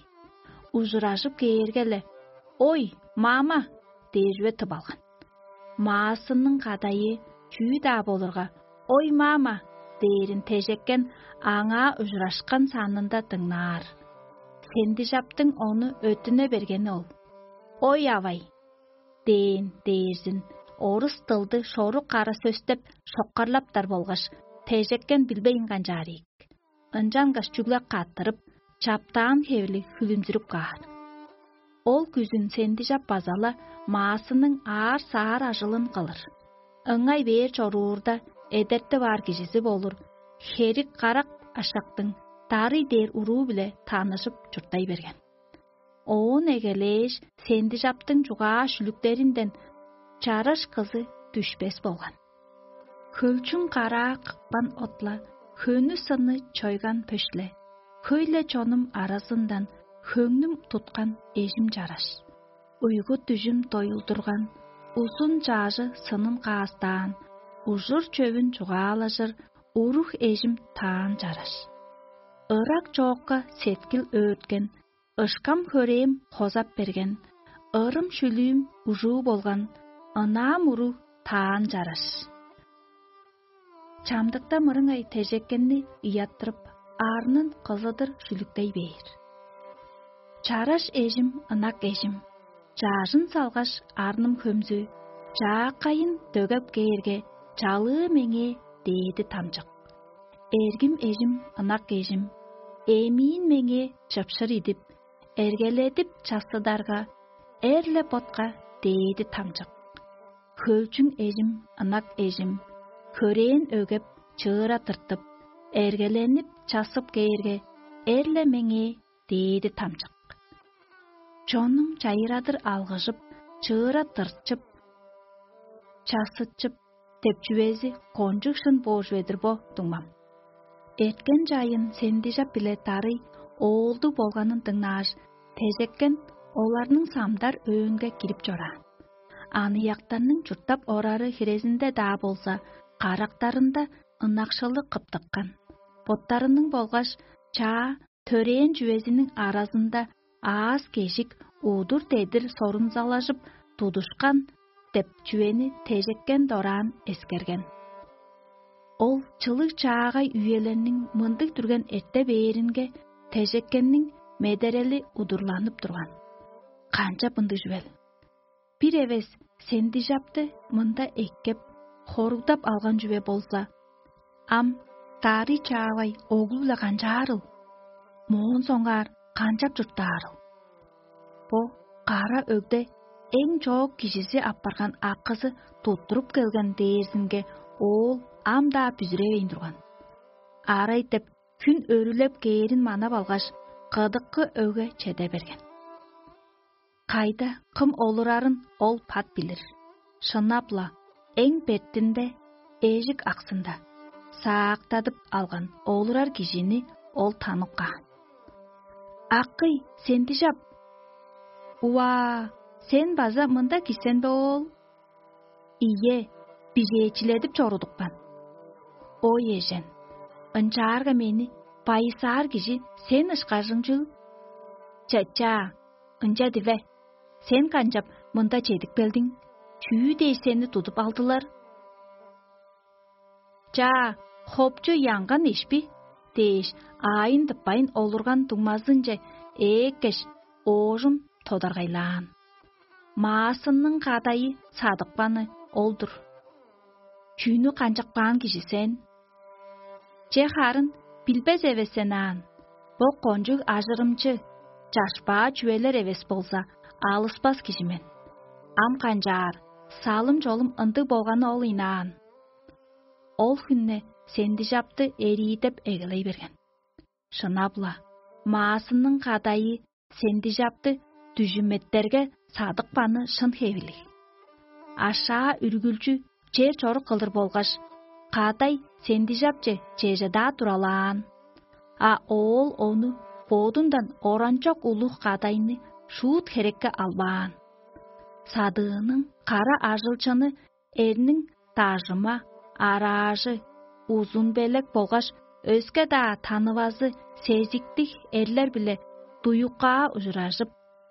Ужуражып кээрге-ле: «Ой, мама!» — дээр чүве тып алган. Маасынның кадайы чүү-даа болурга: «Ой, мама!» — дээрин тежеккен аңаа ужурашкан санында дыңнаар. Сендижаптың ону өттүне бергени ол: «Ой, авай!» — дээн дээрзин, орус дылды шорук кара сөстеп шоккарлаптар болгаш, тежеккен билбейн канчаар ийик. Ынчангаш чүгле каттырып, чаптаан хевирлиг хүлүмзүрүп каар. Ол күзүн Сендижап база-ла маасының аар-саар ажылын кылыр. Ыңай бээр чоруурда, эдертип аар кижизи болур, херик карак ашактың дарый дээр уруу-биле таныжып чурттай берген. Оон эгелээш, Сендижаптың чугаа-шүлүктеринден чараш кызы дүшпес болган. Хөлчүң караа кыпкан отла, хөнү-сынны чойган пөшле, хөй-ле чонум аразындан хөңнүм туткан эжим чараш. Уйгу-дүжүм доюлдурган, узун чаажы сынын каастаан, ужур-чөвүн чугаалажыр уруг эжим таан чараш. Ырак чоокка сеткил өөрткен, ышкам хөрээм хозап берген, ырым шүлүүм ужуу болган, ынаам уруг таан чараш. Чамдыкта мырыңай тежеккенни ыяттырып, арнын кызыдыр шүлүктей бээр. Чараш эжим, ынак эжим, чаажын салгаш, арным хөмзү, чааккайын дөгеп кээрге, чалыы меңээ дээди тамчык. Эргим эжим, ынак эжим, эмиин меңээ чыпшыр идип, эргеледип чассыдарга, эрле ботка дээди тамчык. Хөлчүң эжим, ынак эжим, хөрээн өгеп, чыыра тыртып, эргеленип чассып кээрге, эрле меңээ дээди тамчык. Чонум чайырадыр алгыжып, чыыра тыртчып, чассытчып деп чүвези кончуг шын боор чүве-дир бо, дуңмам. Эрткен чайын Сендижап биле Дарый оолдуг болганын дыңнааш, тежеккен оларның самдар өөнге кирип чораан. Аныяктарның чурттап орары хирезинде-даа болза, карактарында ынакшылы кыптыккан. Боттарының болгаш чаа төрээн чүвезиниң аразында аас-кежик, удур-дедир сорунзалажып тудушкан деп чүвени тежеккен дораан эскерген. Ол чылыг чаагай үелерниң мындыг дүрген эрте бээринге тежеккенниң медерели удурланып турган. Канчап ындыг чүвел? Бир эвес Сендижапты мында эккеп, хоругдап алган чүве болза, ам Дарый чаавай оглу-биле канчаарыл? Моон соңгаар канчап чурттаарыл? Бо кара өгде эң чоок кижизи апарган акызы туттуруп келген дээрзинге оол ам-даа бүзүревейн турган. Арай деп хүн өрүлеп кээрин манап алгаш, кыдыккы өгге чеде берген. Кайда кым олурарын ол пат билир. Шынап-ла, эң бертинде, эжик аксында саактадып алган олурар кижини ол танып каан. «Акый, Сендижап! Уаа, сен база мында кижи сен бе, оол?» «Ийе, бижээчиледип чорудупкан». «Ой, эжен, ынчаарга мени байысаар кижи сен ышкажың чүл?» «Ча-чаа, ынча диве. Сен канчап мында чедип келдиң? Чүү дээш сени тудуп алдылар?» «Чаа, хопчу янган ишпи» – дээш, аайын тыппайн олурган дуңмазынче ээккеш, оожум тодаргайлаан. «Маасынның кадайы садыпканы ол-дур». «Чүнү канчап каан кижи сен?» «Че харын билбес эвес сен аан. Бо кончуг ажырымчы, чашпаа чүвелер эвес болза, алыспас кижи мен. Ам канчаар, салым-чолум ындыг болганы ол ыйнаан». Ол хүнне Сендижапты эриидеп эгелей берген. Шынап-ла, маасынның кадайы Сендижапты дүжүметтерге садыпканы шын хевирлиг. Ашаа үргүлчү чер чорук кылдыр болгаш, кадай Сендижапче чеже-даа туралаан. А оол ону бодундан оранчок улуг кадайны шуут херекке албаан. Садыының кара ажылчыны эрниң дажыма, араажы, узун белек болгаш өске-даа танывазы сезиктиг эрлер-биле дуюккаа ужуражып,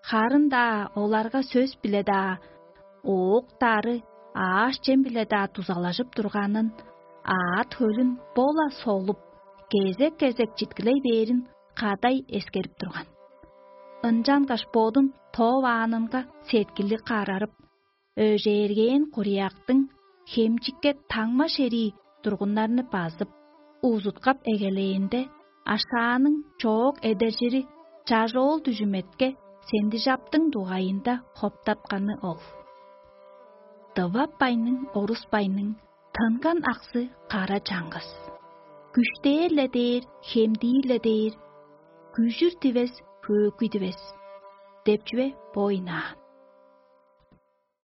харын-даа оларга сөс-биле-даа, ооктары, аъш-чем-биле-даа дузалажып турганын, аът-хөлүн бо-ла солуп, кезек-кезек читкилей бээрин кадай эскерип турган. Ынчангаш бодун тооваанынга сеткили карарып, өжээргээн курияктың хемчикке таңма шерии тургуннарны базып, узуткап эгелээнде, ашааның чоок эдержири чажоол дүжүметке Сендижаптың дугайында хоптапканы ол. Дывап байның, орус байның тынган аксы кара чаңгыс. Күштээр-ле дээр, хемдиир-ле дээр, күжүр дивес, хөөкүй дивес деп чүве бо ыйнаан.